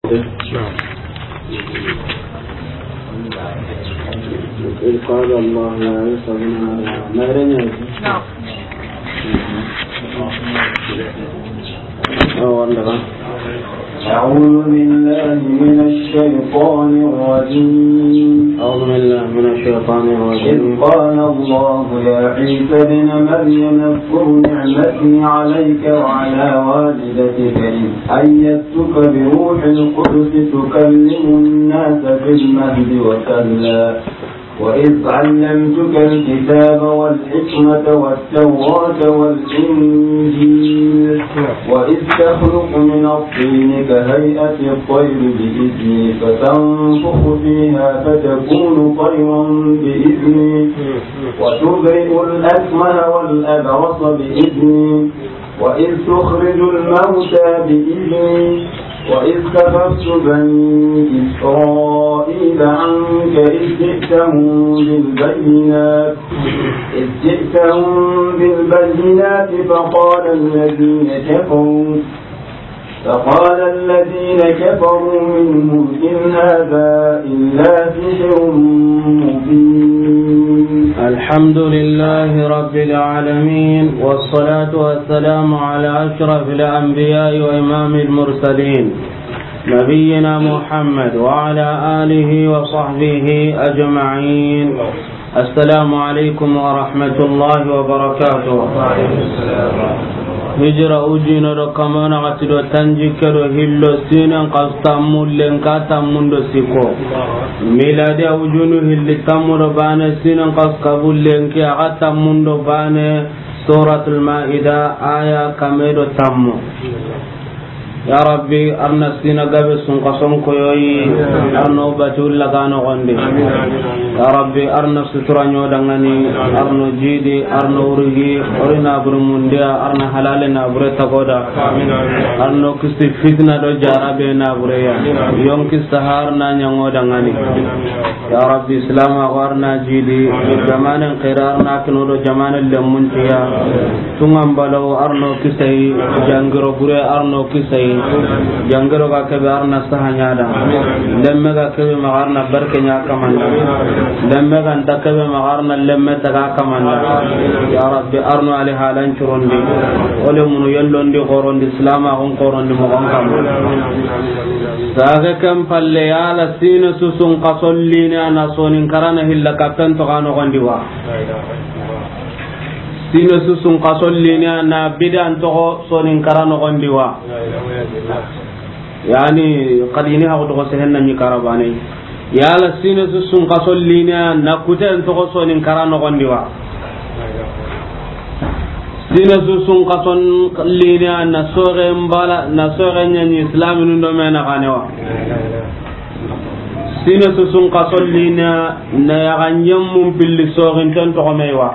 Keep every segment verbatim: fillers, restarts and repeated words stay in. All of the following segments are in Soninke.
إذ قال الله يا عيسى ابن مريم. أعوذ بالله من الشيطان الرجيم. أعوذ بالله من الشيطان الرجيم. إذ قال الله يا عيسى ابن مريم اذكر نعمتي عليك وعلى والدتك إذ أيدتك بروح القدس تكلم الناس في المهد وكهلا وإذ علمتك الكتاب والحكمة والتوراة والإنجيل وإذ تخلق من الطين كهيئة الطير بإذني فتنفخ فيها فتكون طيرا بإذني وتبرئ الأكمه والأبرص بإذني وإذ تخرج الموتى بإذني وإذ كففت بني إسرائيل عنك إذ جئتهم بالبينات إذ جئتهم بالبينات فقال الذين كفروا فقال الذين كفروا منهم إن هذا إلا سحر مبين. الحمد لله رب العالمين، والصلاة والسلام على أشرف الأنبياء وإمام المرسلين، نبينا محمد وعلى آله وصحبه أجمعين. السلام عليكم ورحمة الله وبركاته. Hijira ujunu do kamana gati do tanjikke do hillo siine n xasu tammu lenki tammu do sikko. Miladiya ujunu hilli tammu do baane siine n xasu kabu lenki a ga tammu do baane. Suratul Maida aya kame do tammu. Ya Rabbi, arna siine gabe sunkason koyoyi, arno batu lagano gonde. Ya Rabbi, arna sutura nyo dangani, arno jidi, arno urugi, orina buru mundiya, arna halale na bure tagoda. Arno kisti fitna do jarabe na bure ya. Yonki sahar na nyango dangani. Ya Rabbi, Islam a warna jidi, jamanen khair arna kino do jamanen lemuntiya. Tungan balaw arno kisai, jangiro bure arno kisai, jangiro ga kebe arna sahanyada, lemme ga kebe magarna barkenya kamanda, lemme ga nta kebe magarna lemme taga kamanda. Ya Rabbi, arno ali halan curondi, ole munu yellondi gorondi, Islam a gon gorondi mogon kamanda. Saga kan palle yala siine su sunkason liine a na sonin karana hilla kapen to kano gondi wa. Siine su sunkason liine a na bidan toxo sonin karana gondi wa. Yani, kadi ni haxu toxo sehen na ni karabane. Yala siine su sunkason liine a na kuten toxo sonin karana gondi wa. Siine su sunkason liine a na soxe mbala, na soxe ɲaɲi Islaminu do mena ganewa. Siine su sunkason liine a na yaxa ɲemmun pilli soxinten toxo mey wa.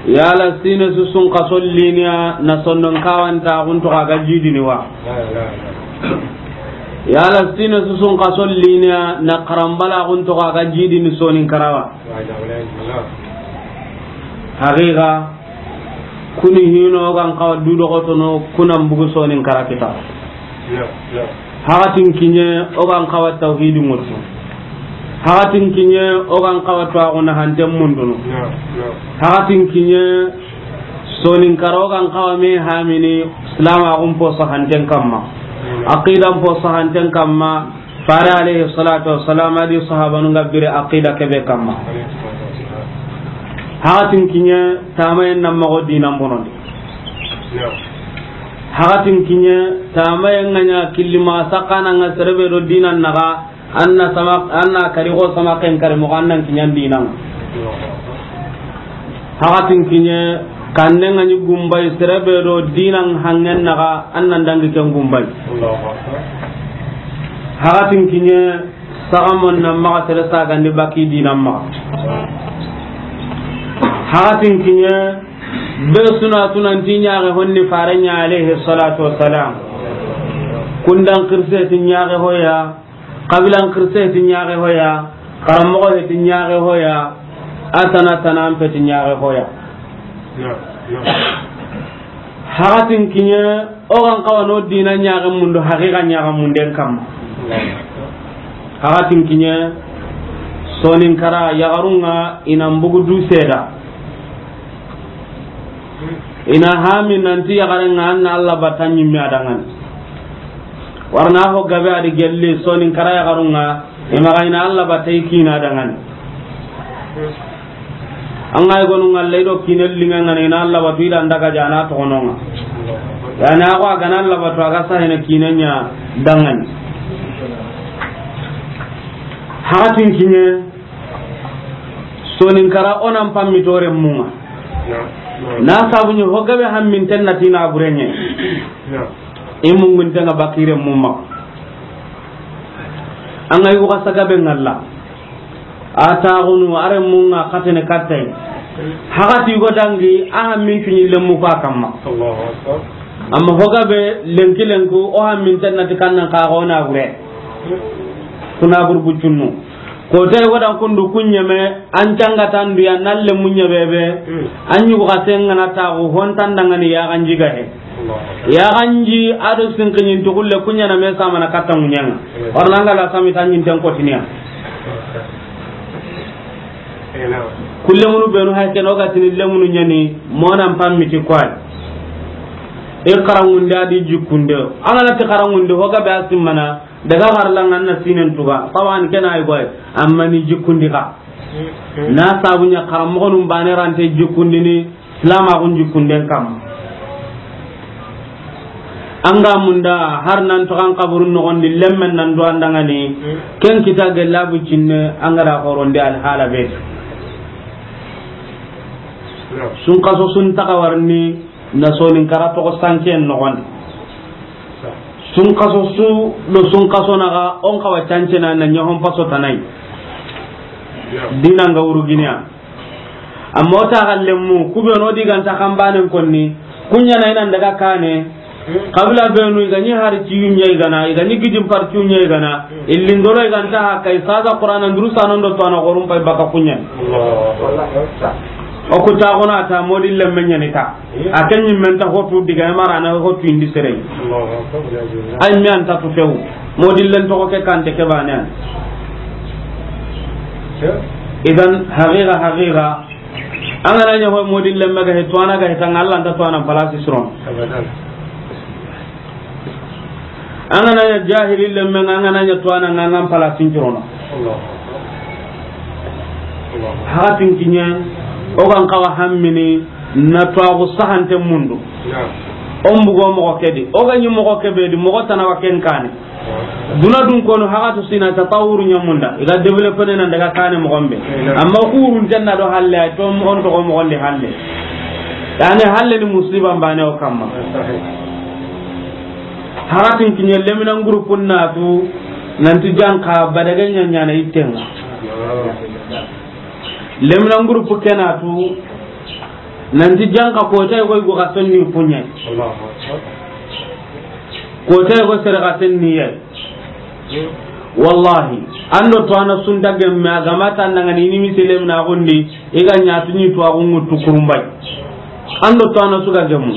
Yala siine su sunkason liine a na sondon kawanta xun toxo a ga jidini wa. Yala siine su sunkason liine a na karambala xun toxo a ga jidini sonin karawa. Haqiqa, kuni hino o gan xawa dudoxotono kunan bugu sonin kara kita. Hakatin kiɲe o gan xawa tawhidi ŋutu. Hakatin kiɲe o gan xawa tuwaxuna hanten mundunu. Hakatin kiɲe sonin kara o gan xawa me hamini silamaxun poso hanten kamma. Aqidan poso hanten kamma. Fare alayhi salatu wassalam a di sahabanu nga bire aqida kebe kamma. Hakatin kiɲe tamayen na mago dinan bonondi. Hakatin kiɲe tamayen nga ɲa kilima sakana nga serebe do dinan naga anna sama, anna kari go sama ken kari mo annan kiɲan dinan. Hakatin kiɲe, kanne nga ni gumbay, serebe do dinan hangen naga, annan dangi ken gumbay. Hakatin kiɲe, sagamon na maga sere sagandi baki dinan maga. Hakatin kiɲe, be suna tunan ti ɲaxe honni fare ɲa alayhi salatu wassalam. Kundan kirse ti ɲaxe hoya, Kabilan kirse ti ɲaxe hoya, karamoxo he ti ɲaxe hoya, a tana tanan pe ti ɲaxe hoya. Hakatin kiɲe, O ga n xawa no diina ɲaxen mundu, haqiqa ɲaxen munden kamma. Haxa tinkiɲe, Soninkara yaxarun ŋa i na n bugu du seeda. I na hami nanti yaxaren ŋa an na Alla batta ɲimme a danŋani. Warna ho gabe a di gelli Soninkara yaxarun ŋa, i maxa i na Alla batta i kiina danŋani. An ga i gonu ŋalla i do kiine liŋa ŋa na i na Alla batu i da n daga jana toxono ŋa. Yani a ko a ga na Alla batu a ga sahene kiine ɲa danŋani. Haxa tinkiɲe, Soninkara o na n pammi to renmun ŋa. Na sabu ɲa ho gabe hamminten na ti na burenɲe. I mungunten ŋa bakire mumma. An ga yugo xa sagabe ŋalla. A taxunu a renmun ŋa xatene kattay. Haxa ti go dangi a hammin kiɲi lemmu fa kamma. Amma ho gabe lenki lenku o hamminten na ti kannan xa go na bure. Kuna burbucunnu. Ko tay wadan kundu kunyeme an canga tandu ya nalle munya bebe. An yugo xa sengana taxu hontan dangani ya ganji ga he. Ya ganji ado sinqinyin to kulle kunya na me sama na katta munyanga. Warna ngala sami tanyin tan kotiniya. Kulle munu benu hay ken o ga tini lemunu nyani monan pammiti kwai. E karangunde adi jikunde. Angana ti karangunde ho gabe asimana. Daga xarla ŋa na sinen tuga, tawan kena ay goy, amma ni jikundi ka. Na sabu ɲa xaranmoxonun bane rante jikundini, silamaxun jikunden kam. An ga munda har nan toxan kaburun noxondi lemmen nan do an dangani, ken kita gella bu cinne, an ga da xorondi alhala be. Sun kaso sun taxa warni, na Soninkara toxo sanken noxondi. Sunkaso su do sunkaso naxa, on xawa cancena na ɲahon paso tanai. Dina nga wuruginiya. Amma o ta xallemu, kube no diganta xanbanen konni, kunya na inan daga kane, kabila benu i ga ɲi hari ciyu ɲa i gana, i ga ɲi gidin par ciyu ɲa i gana, illindoro i ganta haka i sasa Qur'ana nduru sanon do to ana gorum pay baka kunya. O ku ta gona ta modi lemme ɲani ta. A ken ɲimmen ta hotu diga mara na hotu indi sere. Ay mi an ta tu few. Modillen to ke kante ke bane an. Idan haqiqa haqiqa. An ga na ɲa ho modillen maga he to ana ga he tan Allah ta to ana palasi suron. An ga na ɲa jahili lemmen an ga na ɲa to ana ngangan palasin curono. Hakatin kiɲe o gan kawa hammini na tuwaxu sahante mundu. On bugo moxo ke di o ga ɲi moxo ke be di moxo tana wa ken kane. Duna dun kono hakatu sina tatawuru ɲamunda i ga développé ne nan daga kane moxon be. Amma kurun tenna do halle ay to on to moxon di halle. Yani halle ni musiba mbane o kamma. Hakatin kiɲe leminan groupe natu nanti janka badage ɲaɲana ittenga. Leminan groupe kenatu nanti janka kota koy go kasonni punya. Kota go sere kasonni ya. Wallahi ando to ana sunda gemme agamata nangani ni misilem na gondi. I ga ɲa tu ɲi tuwaxu ŋuttu kurumbay. An do to ana suga gemu.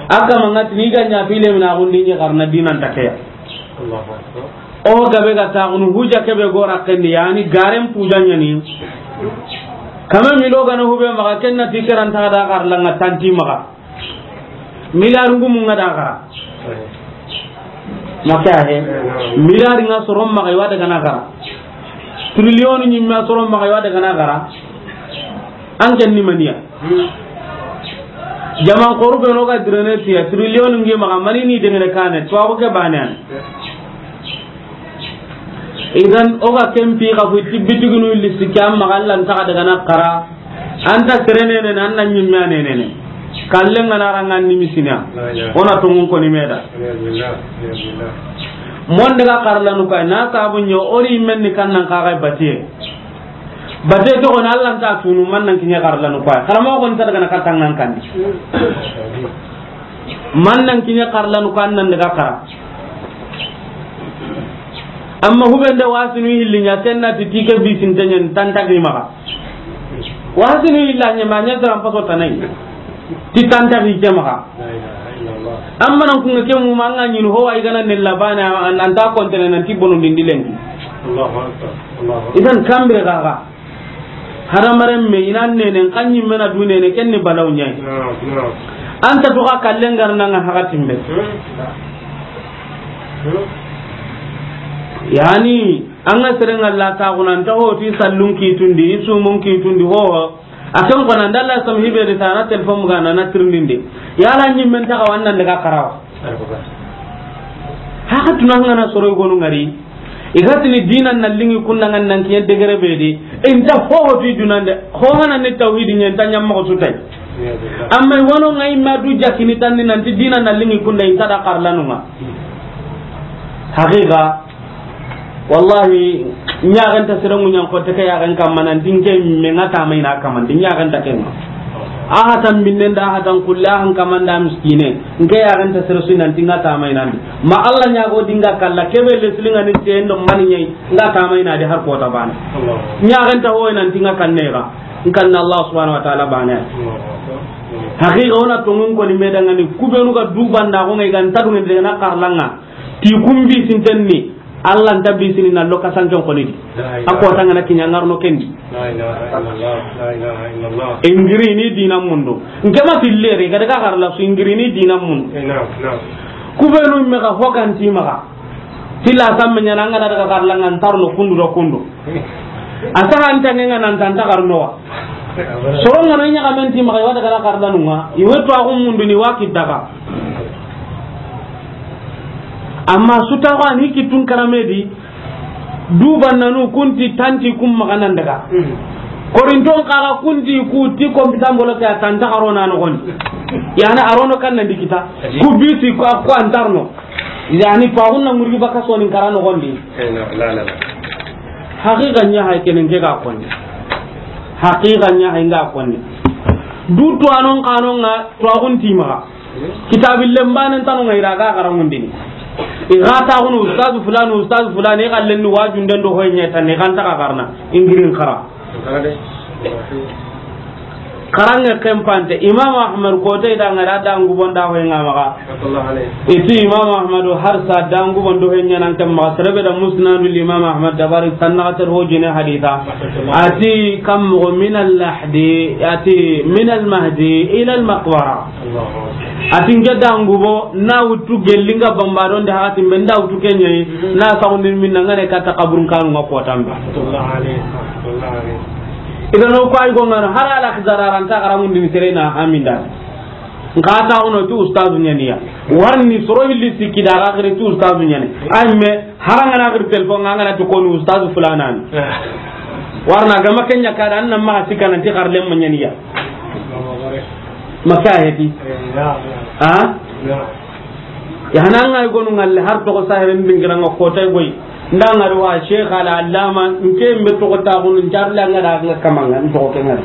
A kama ŋa ti ni i ga ɲa fi lemina xundi ɲi xarna dinan takeya. O gabe ga taxunu huja kebe gora kendi yani garen puja ɲani. Kame milo gana hube maxa kenna ti keranta da xarla ŋa tanti maxa. Miliyar ngumu ŋa da xara. Maka he. Miliyar ŋa soron maxa i wa daga na xara. Trillion ɲimma soron maxa i wa daga na xara. An ken ni maniya. Jaman xoru be no ga direne tiya trillion ngi maxa mani ni dengene kane to ko ke bane an. Idan o ga ken pi xa fu ti bitiginu lissi ke an maxa Allah nta xa daga na xara. Anta serenene na an na ɲimme anenene. Kallen ga na ranga ni misina. Ona to ngun ko ni meda. Mon daga xarlanu kay na sabu ɲo ori menni kannan xa ga batiye. Bate to on Allah nta tunu man nan kiɲe xarlanu kay. Xarama ko nta daga na katangan kan. Man nan kiɲe xarlanu kan nan daga xara. Amma hubende wasinu hillinya tenna ti tike bisin tenyen tanta ki maxa. Wasinu hillanya ma nya dara paso tanai. Ti tanta ki ke maxa. Amma nan kunga ke mu ma an ga ɲini ho wa i ga na ne labana, an ta kontene nan ti bono dindi lenki. Allahu Akbar. Allahu Akbar. Idan kambire gaga. Hadamaren me ina nene, kan ɲi mena du nene, ken ni balaw ɲai. Naam, naam. An ta to ka kallen garna nga hakatin be. Hmm. Hmm. Yani, an ga seren Allah ta guna, an ta ho ti sallun kitundi, i sumun kitundi, ho. A ken kona, ndalla sam hibe de tana telefon ga na na tirindinde. Yala ɲi men ta ga wannan daga karawa. Haka tunan ngana soro gonu ngari. I ga tini dinan na lingi kunda ngan nan kiyen degere be di. Inta ho ho ti dunande. Ho hana ni tawhidi nyen ta nyamma ko sutai. Amma wono ngai ma du jakini tanni nan ti dinan na lingi kunda inta da karlanunga. Haqiqa. Wallahi, ɲaxenta sere ŋuɲan xotte ke yaxen kamma nan dinke me nga tama ina kaman di ɲaxenta kenga. A hatan binnen da, a hatan kulle, a han kaman da miskine. Nke yaxenta sere su nan dinga tama ina ndi. Ma Allah ɲago dinga kalla kebe le silinga ni tendo mani ɲai nga tama ina di har kota bana. Ɲaxenta ho nan dinga kanne ga. Nkan Allah subhanahu wa ta'ala bana. Haqiqa ona tongun ko ni medanga ni kubenu ga dubanda ko ngai ga ntadu ngai de na karlanga. Ti kumbi sintenni. Allah nta bisini na loka sanken koni di. La ilaha. A ko tangana kinya ngarno kendi. La ilaha illallah. La ilaha illallah. Ingiri ni dina mundu. Nke ma fillere ga daga garla su ingiri ni dina mundu. Eh, naam, naam. Kubenu me ga hoganti maga. Tilla samme ɲana ngana daga garla ngan tarno kundu do kundu. Asa hanta ngenga nan tanta garno wa. Soronga no ɲaga men ti maga wa daga garla nunga. Iwe to agu mundu ni wa kidaga. Amma su taxu a ni kittun karame di, du bannanu kunti tanti kum maxanan daga. Korinton xaxa kunti ku ti kompitan bolo ke a tanta xaro na noxondi. Yani a rono kan nan di kita. Ku bisi ko, ko antarno. Yani paxun na ŋurgi baka sonin kara noxondi. Eh, la, la, la. Haqiqa ɲa hay kenen ke ga konni. Haqiqa ɲa hay nga konni. Du to anon xanonga to agun ti maga. Kitabi lembane tanu ngai raga garangundini. I ga ta kunu ustaz fulani, ustaz fulani, i gallen ni wajun den do hoy ɲeta ni kan ta ka garna ingirin kara. Karange kempante Imam Ahmad ko te da ngara da ngubon da hoy ngamaga. Iti Imam Ahmad har sa da ngubon do hoy ɲanan kemma serebe da musnadul Imam Ahmad dabari sanna ter ho jine haditha. Ati kam min al lahdi, ati min al mahdi ila al maqbara. Ati nke dangubo na wutu gellinga bambadon de hakati mbe nda wutu kenye na saxundin minna ngane kata kaburun kanu nga kotambe. Idan o ko ay go ngana har ala khizararanta karamundini serena aminda. Nka ta ono tu ustazu ɲaniya. Warni soro hilli sikki da ga khiri tu ustazu ɲani. Ay me haranga na khiri telefon nga ngana to konu ustazu fulanan. Warna gama kenya kada anna ma sikana ti kharlem ma ɲaniya. Maka heti. Ha? Ya hananga gonu ngalle har to ko sahiren dingiranga ko tay goy. Ndanga do wa Sheikh al Allama nke mbe to ko ta gonu njarle nga da nga kamanga to ko kenga.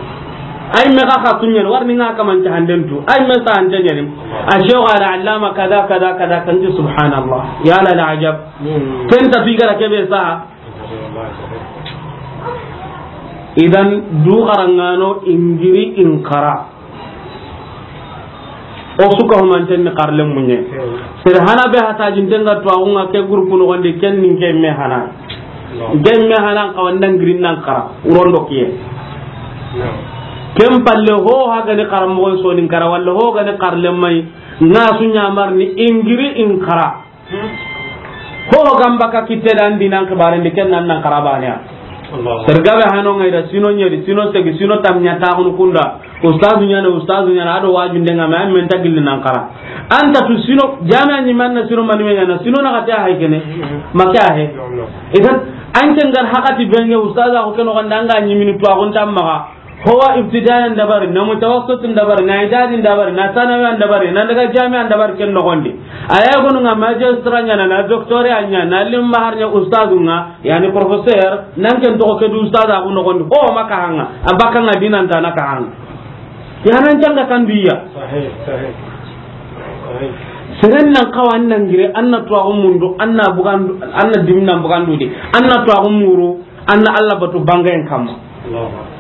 Ay me ka ka tunyen warni nga kaman ta handen tu. Ay me sa handen nyen. A Sheikh al Allama kada kada kada kan subhanallah. Ya la ajab. Ken ta figara kebe sa. Idan du xarangano ingiri inkara. O suka humanten ni xarle munye. Sere hana be hata jintenga to agunga ke groupe no gonde ken ninke me hana. Ke me hana ka wanda ngirin nan kara urondo kiye. Ken palle ho ha gani xaram mo so nin kara walla ho gani xarle mai na su nyamar ni ingiri inkara. Ho gamba ka kitte dan dinan kibaren di ken nan nan karabane ya. Sergabe hano ngai da sino nyeri, sino segi, sino tamnya ta kunu kunda. Ustazu nyana, ustazu nyana, ado waju ndenga me men ta gilli nan kara. Anta tu sino, jami'a ni manna sino mani me nyana, sino na kata hay kene. Maka he. Idan, an ken gar hakati benge ustaza ko keno ganda nga ni mini to agon tamma. Howa ibtidaiyan dabari, na mutawassit dabari, na idadi dabari, na sanawiyan dabari, na daga jami'an dabari ken nogondi. A ya gonu nga magistrat nya na, na doctorat nya na, limba har nya ustazu nga, yani professeur, nan ken to ke du ustaza ku nogondi. Ho maka hanga, abaka nga dinan ta na ka hanga. Ya nan janga kan biya. Sahih, sahih. Seren nan kawa annan gire, anna tuwa mundu, anna bugandu, anna dimnan bugandu di, anna tuwa muru. Anna Allah batu bangayen kamma. Allahu Akbar.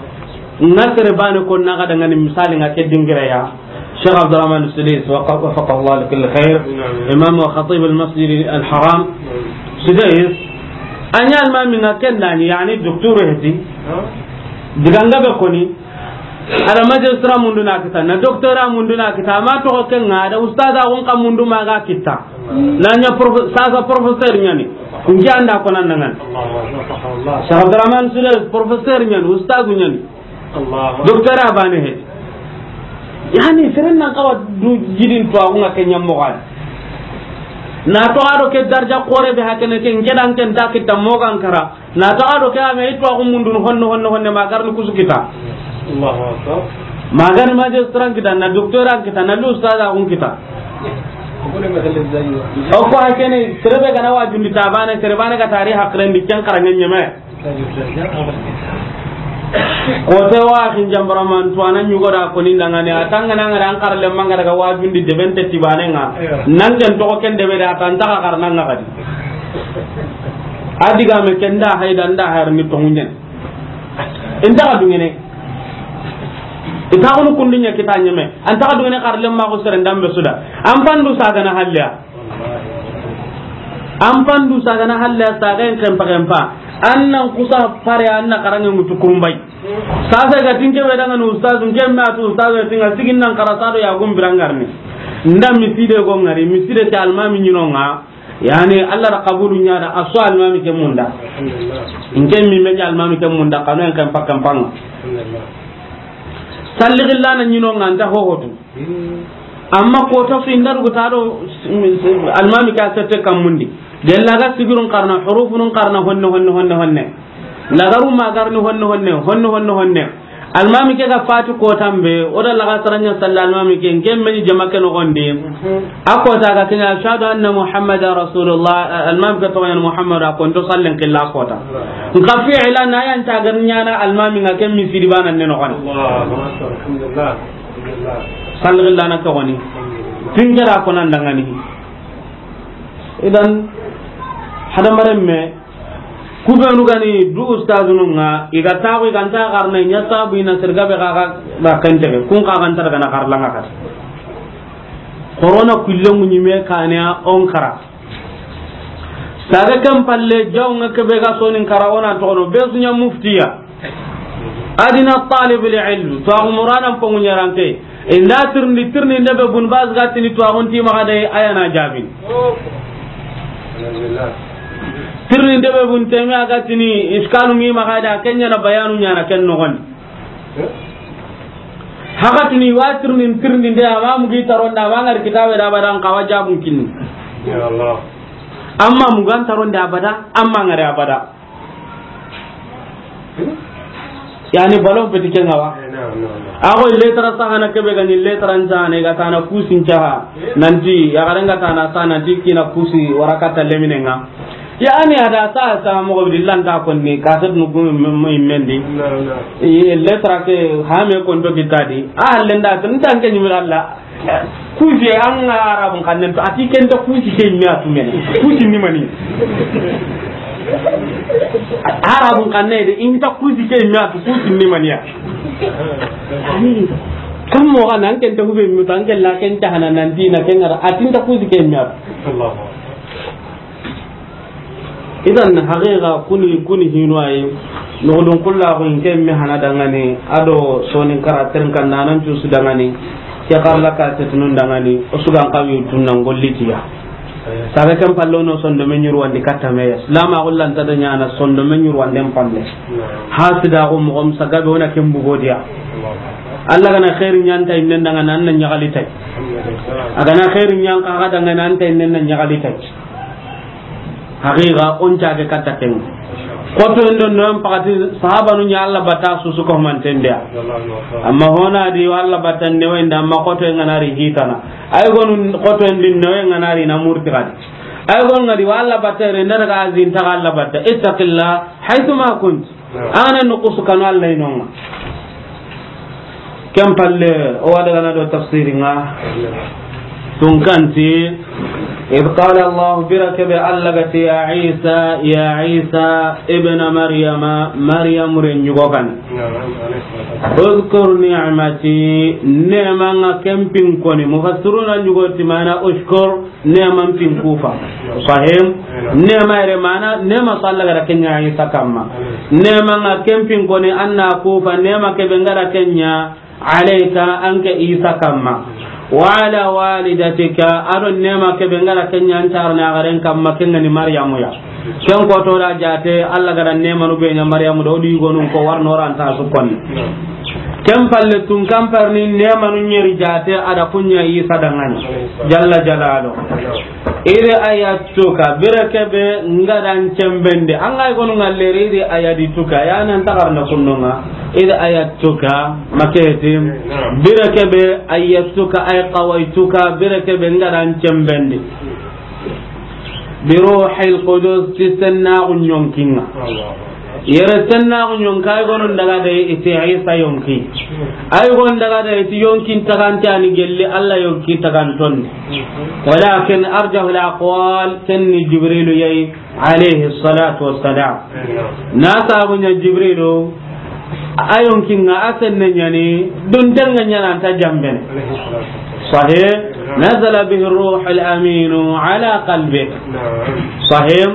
Nga sere bane ko naga dangani misali nga ke dingira ya. Cheikh Abdourahmane Soudais, waqa-, waffaqahu Allah li kulli khair, imam wa khatib al Masjid al Haram, Soudais, a ɲa almaami ŋa ken da ɲi, yani docteur heti, diga ŋa be koni, a da magistrat mundu na kita, na doctorat mundu na kita, a ma toxo ken ŋa, a da ustaza gun ka mundu ma ga kita, na ɲa profe-, sasa professeur ɲa ni, n ke an da ko nan ŋa ni. Cheikh Abdourahmane Soudais, professeur ɲa ni, ustazu ɲa ni. Allahu. Docteur a baane he. Yani, seren nan xawa du jidin tuwaaxu ŋa ke ɲa moxo di. Na toxo a do ke darja xoore be hakene ke, n ke da n ke nta kita moxo ga n kara. Na toxo a do ke a me i tuwaaxu mundun honne, honne, honne, ma ga ri ni kusu kita. Allahu akbar. Ma ga ri ni magistrat kita, na docteur an kita, na ustaza kun kita. O ko hakene, sere be ga na wajundi ta baane, sere baane ga tari hakren di ken xara ɲeme. Ko te wa kin jambara man to anan yugo da ko ni dangane a tangana ngara an karle manga daga wajundi de bente tibane ŋa. Nan ken to ken de be da tan ta ka karna ŋa kadi. A diga me ken da hayda nda har ni to ŋuɲen. Inta ka dungene. Ita ko kundinya kita ɲeme. Anta ka dungene karle ma ko sere ndambe suda. An pandu saga na halliya. An pandu saga na halle saga en kempa kempa. An nan kusa pare an na karange mutu kurumbay. Sasa ga tinke be daga no ustaz, n ke ma tu ustaz, tinga sigin nan kara sado ya gum birangarni. Nda miside go ŋari, miside te almaami ɲi no ŋa. Yani, Allah da qabulu ɲa da, a so almaami ke munda. N ke mi me almaami ke munda, kanu en kempa kempa ŋa. Salli gillana ɲi no ŋa, nta hohotu. Amma kota su inda rugu ta do almaami ka sette kammundi. Gella ga sigirun karna, hurufunun karna, honne, honne, honne, honne. Lagaru ma garni honne, honne, honne, honne, honne. Almaami ke ga fati kotan be, o da laga saranya salla almaami ke, n ke meni jama ke no gonde. A kota ga kenya, "Ashhadu anna Muhammadan Rasulullah", almaami ke to yan Muhammad, a konto sallen killa kota. Nka fi'ila na yan ta garnya na almaami ŋa ke misiri bana ne no kan. Allahu akbar. Alhamdulillah. Sallallahu na ka woni. Tinjara ko nan dangani. Idan, hadamaren me, ku be nu gani du ustazunu ŋa, i ga ta ko i ga nta karna ɲa sabu i na sirga be ga ga ba kante kun ka ga nta daga na karla ŋa ka. Corona kulle mu ɲi me kane a on kara. Saga kan palle jaw ŋa ke be ga sonin kara o na toxo no be su ɲa muftiya. Adina talib al ilm, to a muranan pongu ɲarante. Inda tirni, tirni nde be bun baz ga tini to a gunti ma ga de aya na jabin. Tirni nde be bun temi a ga tini iskalu ngi ma ga da kenya na bayanu ɲana ken no gon. Haka tuni wa tirni, tirni nde a ma mugi taronda, a ma ŋari kitabe da badan kawa jabun kinni. Ya Allah. Amma mugan taronda abada, amma ŋari abada. Yani ballon petit ke ŋa wa. Eh, non, non, non. A ko letra sahana ke be ga ni letra nsahana ga tana kusin caha. Nanti ya ga renga tana sa nanti kina kusi waraka ta lemine ŋa. Yani a da sa sa mo ko dillan ta ko ni ka sa nu ko mo mendi. Non, non. E letra ke ha me ko ndo kitadi. A lenda tan tan ke ni miralla. Kusi an ga Arabun xannen to, a ti ken ta kusi ke ɲa tu mene. Kusi ni mani. Arabun xanne de, in ta kusi ke ɲa tu, kusi ni mani ya. Kan mo ga nan ken ta hube mi tan ken la ken ta hana nan dina ken ŋa ra, a ti n ta kusi ke ɲa tu. Allahu akbar. Idan, haqiqa, kuni, kuni hinu ayi. Nugudun kulla ko in ke mi hana dangani, a do sonin kara terinkan nanan cusu dangani. Ke karla ka tetunun dangani, o sugan kawi tunnan gollitiya. Sabe kan pallo no sondo me ɲuru wandi katta me. Lama gullan ta da ɲana sondo me ɲuru wanden palle. Hasida ko mo gom sagabe wona ken bugodiya. Allah gana khairin ɲanta innen dangana an na ɲagali tay. A gana khairin ɲan ka ga dangana an ta innen na ɲagali tay. Haqiqa, on cage katta ken. Xoto en do no en pakati sahabanu ɲa Allah bata susu ko mantendia. Amma hona di Allah bata ne wenda amma xoto en ŋa na ri hitana. Ay gonu xoto en din no en ŋa na ri na murti kadi. Ay gonu ŋa di Allah bata re ndar ga azin ta Allah bata. Ittaqillah haythu ma kunt. Ana no kusu kanu Allah inonga. Kem palle o wada gana do tafsiri ŋa. Tunkanti. إذ قال الله, bire ke be Alla ga ti, يا عيسى, ya Isa, ابن مريم, Maryam renɲugo kan. نعم، عليه الصلاة والسلام. اذكر نعمتي, neema ŋa ken pin koni. Mufassiruna ɲugo ti maana اشكر, neema n pin kufa. Sahih? نعم. Neema yere maana, neema su Alla ga da ken ɲa Isa kanma. نعم. Neema ŋa ken pin koni, an na kufa, neema ke be n ga da ken ɲa عليك, an ke Isa kanma. وعلى والدتك, a do neema ke be n ga da ken ɲa an taarana garen kanma, ken ga ni Maryamu ya. Ken ko to da jaate, Alla ga da neemanu be ɲa Maryamu do, o di yugonun ko warno ranta su konni. Ken palle tun kan parni neemanu ɲeri jaate, a da kun ɲa Isa danŋa ni. Jalla Jalalu. إذ أيدتك, bire ke be n ga da an cembendi. An ga i gonu ŋalleri, إذ أيدتك, ya nan tagarna kunnonga. إذ أيدتك, maketi. نعم. Bire ke be, أيدتك أي قويتك, bire ke be n ga da an cembendi. بروح القدس, ti sennaxu ɲonkinŋa. الله. Yere sennaxu ɲonki, ay gonu n daga da i ti Isa yonki. Ay gonu n daga da i ti yonkin tagante a ni gelli Alla yonki tagantondi. ولكن أرجح الأقوال, ken ni Jibrilu ya yi, عليه الصلاة والسلام. Na sabu ɲa Jibrilu, a yonkinŋa a senne ɲa ni, duntenŋa ɲa na nta jambene. Sahih? نزل به الروح الأمين على قلبك. Sahih?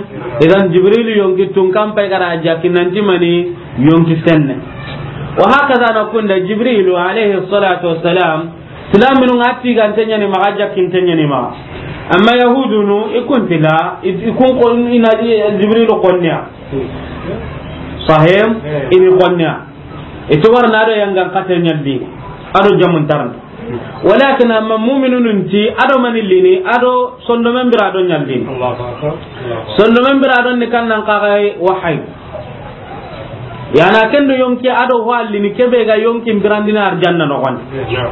Idan Jibrilu yonki tun kan pay ga da a jaki nanti mani, yonki senne. وهكذا na kunda Jibrilu عليه الصلاة والسلام, silaminu ŋa tigante ɲa ni maxa, jakkinte ɲa ni maxa. Amma Yahudunu, i kun ti la, i, i kun ko i na Jibrilu konniya. Sahih? I ni konniya. I ti wara na do yangan kate ɲalli, a do jamun tarni. ولكن amma mu'minunun ti, a do mani lini, a do sondomen bira do ɲallini. الله أكبر. الله أكبر. Sondomen bira do ni kan nan kaxay wahayi. Yana kendo yonki a do ho allini ke be ga yonki birandina arjanna noxon. نعم.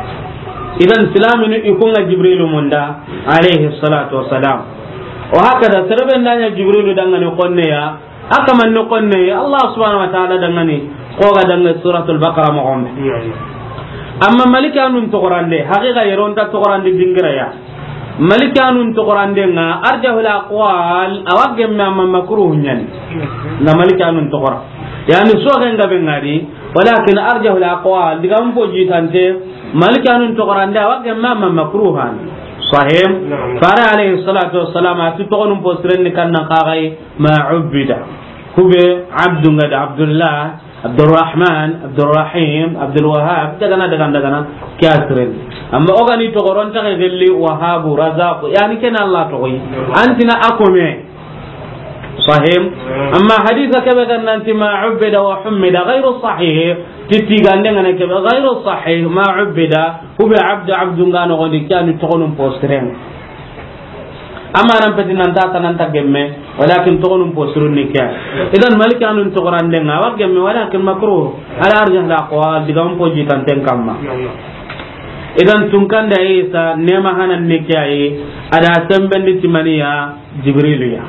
Idan silaminu i kun ŋa Jibrilu munda, عليه الصلاة والسلام. وهكذا, sere be n da ɲa Jibrilu danŋa ni konneya, a kaman ni konne, Allah subhanahu wa ta'ala danŋa ni, ko ga danŋa Suratul Baqara moxon be. نعم. Amma malikanun toxorande, haqiqa yere o nta toxorande dingira ya. Malikanun toxorandenŋa, arjahul aqwal, a wa gemme amma makruhu ɲa ni. Na malikanun toxora. Yani soxen ga be ŋa di, walakin arjahul aqwal, digamun fo jitante, malikanun toxorande, a wa gemme amma makruhan. Sahih? Naam. Fare alayhi salatu wassalam, a ti toxonun fo siren ni kannan kaxay, ma ubbida. Kube Abdu ŋa da, Abdullah, Abdurrahman, Abdurrahim, Abdulwahab, dagana, dagana, dagana, ke ya siren. Amma o ga ni toxoron taxe gelli Wahabu, Razaqu, yani ken Allah toxoyi. An ti na a kome. Sahih. Amma hadisa kebe ga nanti ma ubbida wa hummida, ghayru sahih. Ti tigande ŋa na kebe, ghayru sahih, ma ubbida, kube Abdu, Abdu ŋa noxon di, ke ya ni toxonun fo siren. Amma nan peti nan ta, nan ta gemme, walakin toxonun fo sirun ni ke ya. Idan malikanun toxorandenŋa, a wa gemme, walakin makruh, ala arjahil aqwal, digamun fo jitanten kamma. Idan tunkanda Isa, nema hanan ni ke ya yi, a da sembendi ti maniya, Jibrilu ya.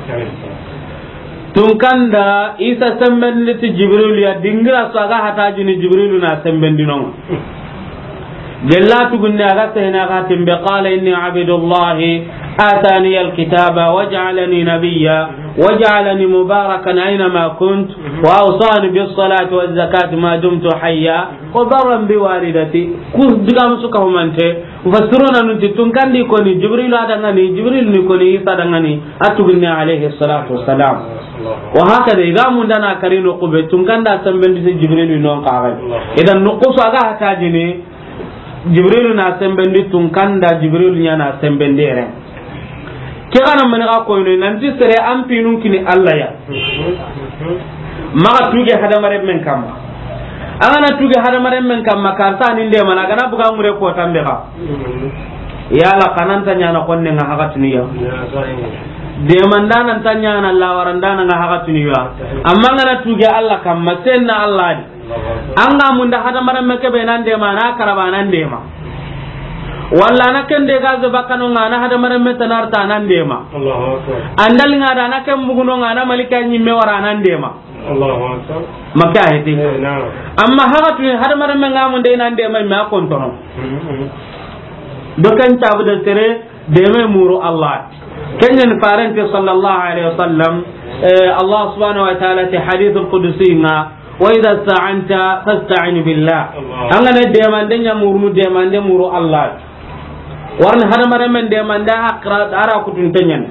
Tunkanda Isa sembendi ti Jibrilu ya, dingira su a ga hatajini Jibrilu na sembendi non. Gella tugunne a ga sehena ga timbe, qala inni abdullahi atani alkitaba waj'alani nabiyya waj'alani mubarakan aynama kunt wa awsani bis salati waz zakati ma dumtu hayya wa barran bi walidati. Ku digamu su ka humante. Mufassiruna nun ti tunkandi koni Jibrilu a danŋa ni, Jibrilu ni koni Isa danŋa ni, a tugunne alayhi salatu wassalam. Wa hakada, i ga mundana kari noqu be, tunkanda sembendi ti Jibrilu non kaxay. Idan noqu su a ga hatajini, Jibrilu na sembendi tunkanda, Jibrilu ɲa na sembendi yere. Ke gana mani ga koyno nanti sere an pinun kini Allah ya. Maxa tuge hadamarenmen kamma. An ga na tuge hadamarenmen kamma, karta ni ndemana, a ga na buga ŋure ko tambe ga. Yala kananta ɲana konne ŋa haxatunu ya. Demandana nta ɲana lawarandana ŋa haxatunu ya. Amma an ga na tuge Allah kamma, senna Allah di. An ga munda hadamarenme kebe nan dema, na karaba nan dema. Walla na kende ga ze bakano ŋa na hadamarenme tanarta nan dema. Allahu akbar. Andal ŋa da na ken buguno ŋa na malika ɲimme wara nan dema. Allahu akbar. Maka heti. Eh, naam. Amma haxatunu hadamarenme ŋa munde nan dema me a kontono. Mm-hmm. Do kan tabu da sere deme muru Allah. Ken ɲa ni Faaren ti sallallahu alayhi wa sallam, eh, Allah subhanahu wa ta'ala ti hadithul qudsi ŋa, "Wa idha ista'anta fasta'in billah." An ga na demande ɲa murunu, demande muru Allah. Wa ri hadamarenmen demande a xara, a ra kutunte ɲa ni.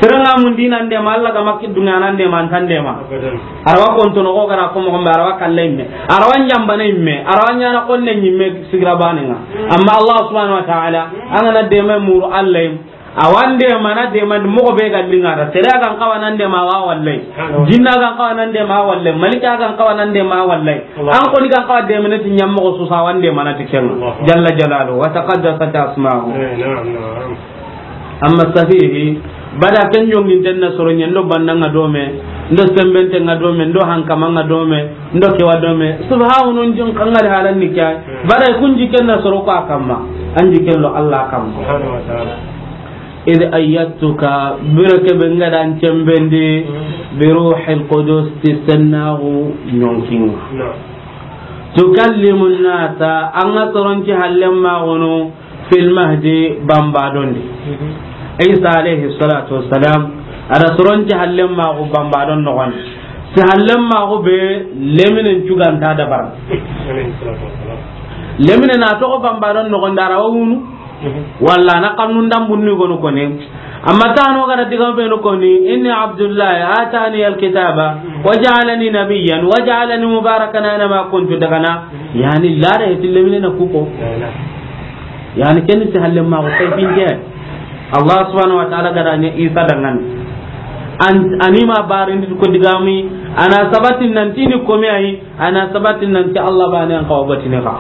Sere ŋa mundi nan dema Allah ga ma ki duŋa nan dema, an ta an dema. Abadan. A ra wa kontono xo ga ra ko moxo be, a ra wa kalle yimme, a ra wa ɲambane yimme, a ra wa ɲaana xonne yimme sigira baane ŋa. Amma Allah subhanahu wa ta'ala, an ga na dema muru Allah yi, a wa an demana, demana moxo be ga liŋa da. Sere ga n xawa nan dema, a wa wallay. Jinna ga n xawa nan dema, a wa wallay. Malika ga n xawa nan dema, a wa wallay. An xo ni ga n xawa demana ti ɲa moxo su sa, a wa an demana ti ken ŋa. Jalla jalaluhu wa taqaddasat asma'uhu. Eh, na'am, na'am. Amma safihi, bada ken ɲonginten na soro ɲa, ndo banna ŋa dome, ndo sembente ŋa dome, ndo hankama ŋa dome, ndo kewa dome. Subhanun jin kangari halan ni kya. Bada kun jiken na soro ko a kamma. An jiken lo Allah kamma. Subhanahu wa ta'ala. Idh ayyadtuka, bire ke be n ga da an cembendi, bi ruhil qudus, ti sennaxu ɲonkin ŋa. Tukallimu nnasa, an ga soron ci hallen maxunu, fil mahdi, bambadondi. Isa alayhi salatu wassalam, a da soron ci hallen maxu bambadon noxon. Si hallen maxu be leminen cuganta dabar. Lemine na toxo bambadon noxon da a ra wa wunu. Walla na xannun dambunni gonu koni. Amma tano ga da diga benu koni, "Inni Abdullahi, atani alkitaba, wa ja'alani nabiyyan, wa ja'alani mubarakan aina ma kuntu," daga na, yani, lare heti lemine na kuko. Yani, ken si hallen maxu kay binte. Allah subhanahu wa ta'ala ga da ɲa Isa dangan. An, a ni ma barin ko digami, a na sabatin nan ti ni komi ayi, a na sabatin nan ti Allah baane an xawa batine xa.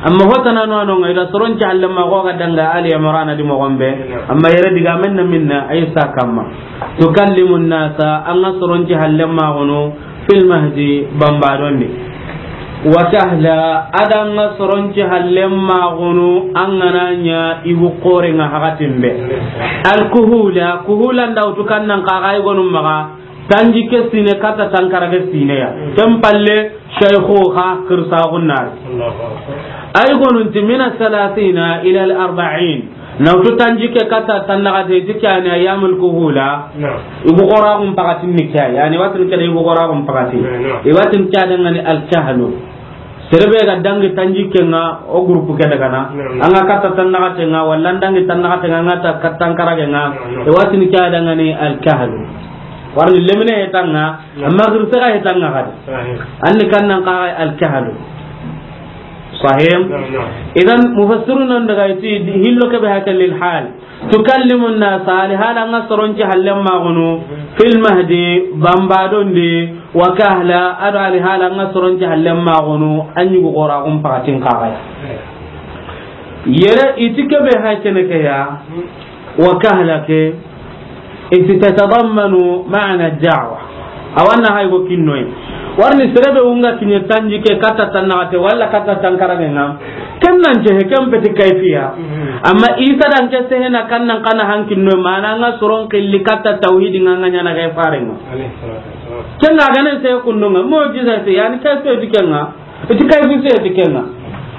Amma hotana no ano ŋa, i da soron ci hallen maxu ga danga Ali Imran di moxon be. Amma yere digamen na minna Isa kamma. Tukallimu nnasa, an ga soron ci hallen maxunu, fil mahdi, bambadondi. Wa kahla, a da an ga soron ci hallen maxunu, an ga na ɲa yugu xoren ŋa hakatin be. Al kuhula, kuhula nda wutu kannan xaxa i gonu maxa. Tanjikke sine katta tankarage sine ya. Ken palle, shaykhuha, kirsaxun nari. Ay gonunti mina salasina ila al arba'in. Na wutu tanjikke katta tannaxate ti ke yani ayyamul kuhula. Yugu xoraxun pakatin ni ke yani, watin ke da yugu xoraxun pakati. Watin ke da ŋa ni al kahlu. Sere be ga dangi tanjikke ŋa, o groupe ke daga na. An ga katta tannaxate ŋa, walla an dangi tannaxate ŋa, an ga ta katta tankarage ŋa. E watin ke da ŋa ni al kahlu. Wa ri lemine hetan ŋa, amma girse ga hetan ŋa xadi. An ni kannan xaxa al kahlu. Sahih. Idan mufassiruna daga i ti hillo ke be haka lil hal. Tukallimu nnasa, ali hala an ga soron ci hallen maxunu, fil mahdi, bambadondi, wa kahla, a do ali hala an ga soron ci hallen maxunu, an yugu xoraxun pakatin xaxa ya. Yere i ti ke be hay kene ke ya, wa kahla ke, i ti tatadammanu ma'na da'wa. A wa na hay go kinnoy. Wa ri ni sere be wunga kinye tanjikke katta tannaxate walla katta tankarage ŋa. Ken nan ce he, ken peti kayfiya. Amma Isa dan ke sehena kannan xa na hankinno, mana an ga soron xilli katta tawhidi ŋa, an ga ɲaana ke faren ŋa. Ken ga gane se kundun ŋa, mu'jiza se, yani kayfiya ti ken ŋa. I ti kayfi se ti ken ŋa.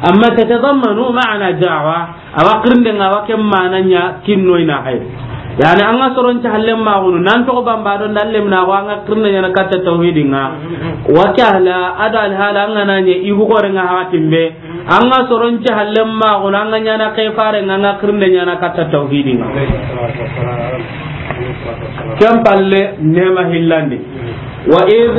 Amma tatadammanu ma'na da'wa, a wa xirinde ŋa, a wa ken mana ɲa kinnoy na hay. Yani an ga soron ci hallen maxunu, nan toxo bambadon da lemina xo, an ga xirinde ɲaana katta tawhidi ŋa. Wa kahla, a do al hala an ga na ɲa yugu xoren ŋa hakatin be. An ga soron ci hallen maxunu, an ga ɲaana ke faren ŋa, an ga xirinde ɲaana katta tawhidi ŋa. Ken palle nema hillandi. Wa idh,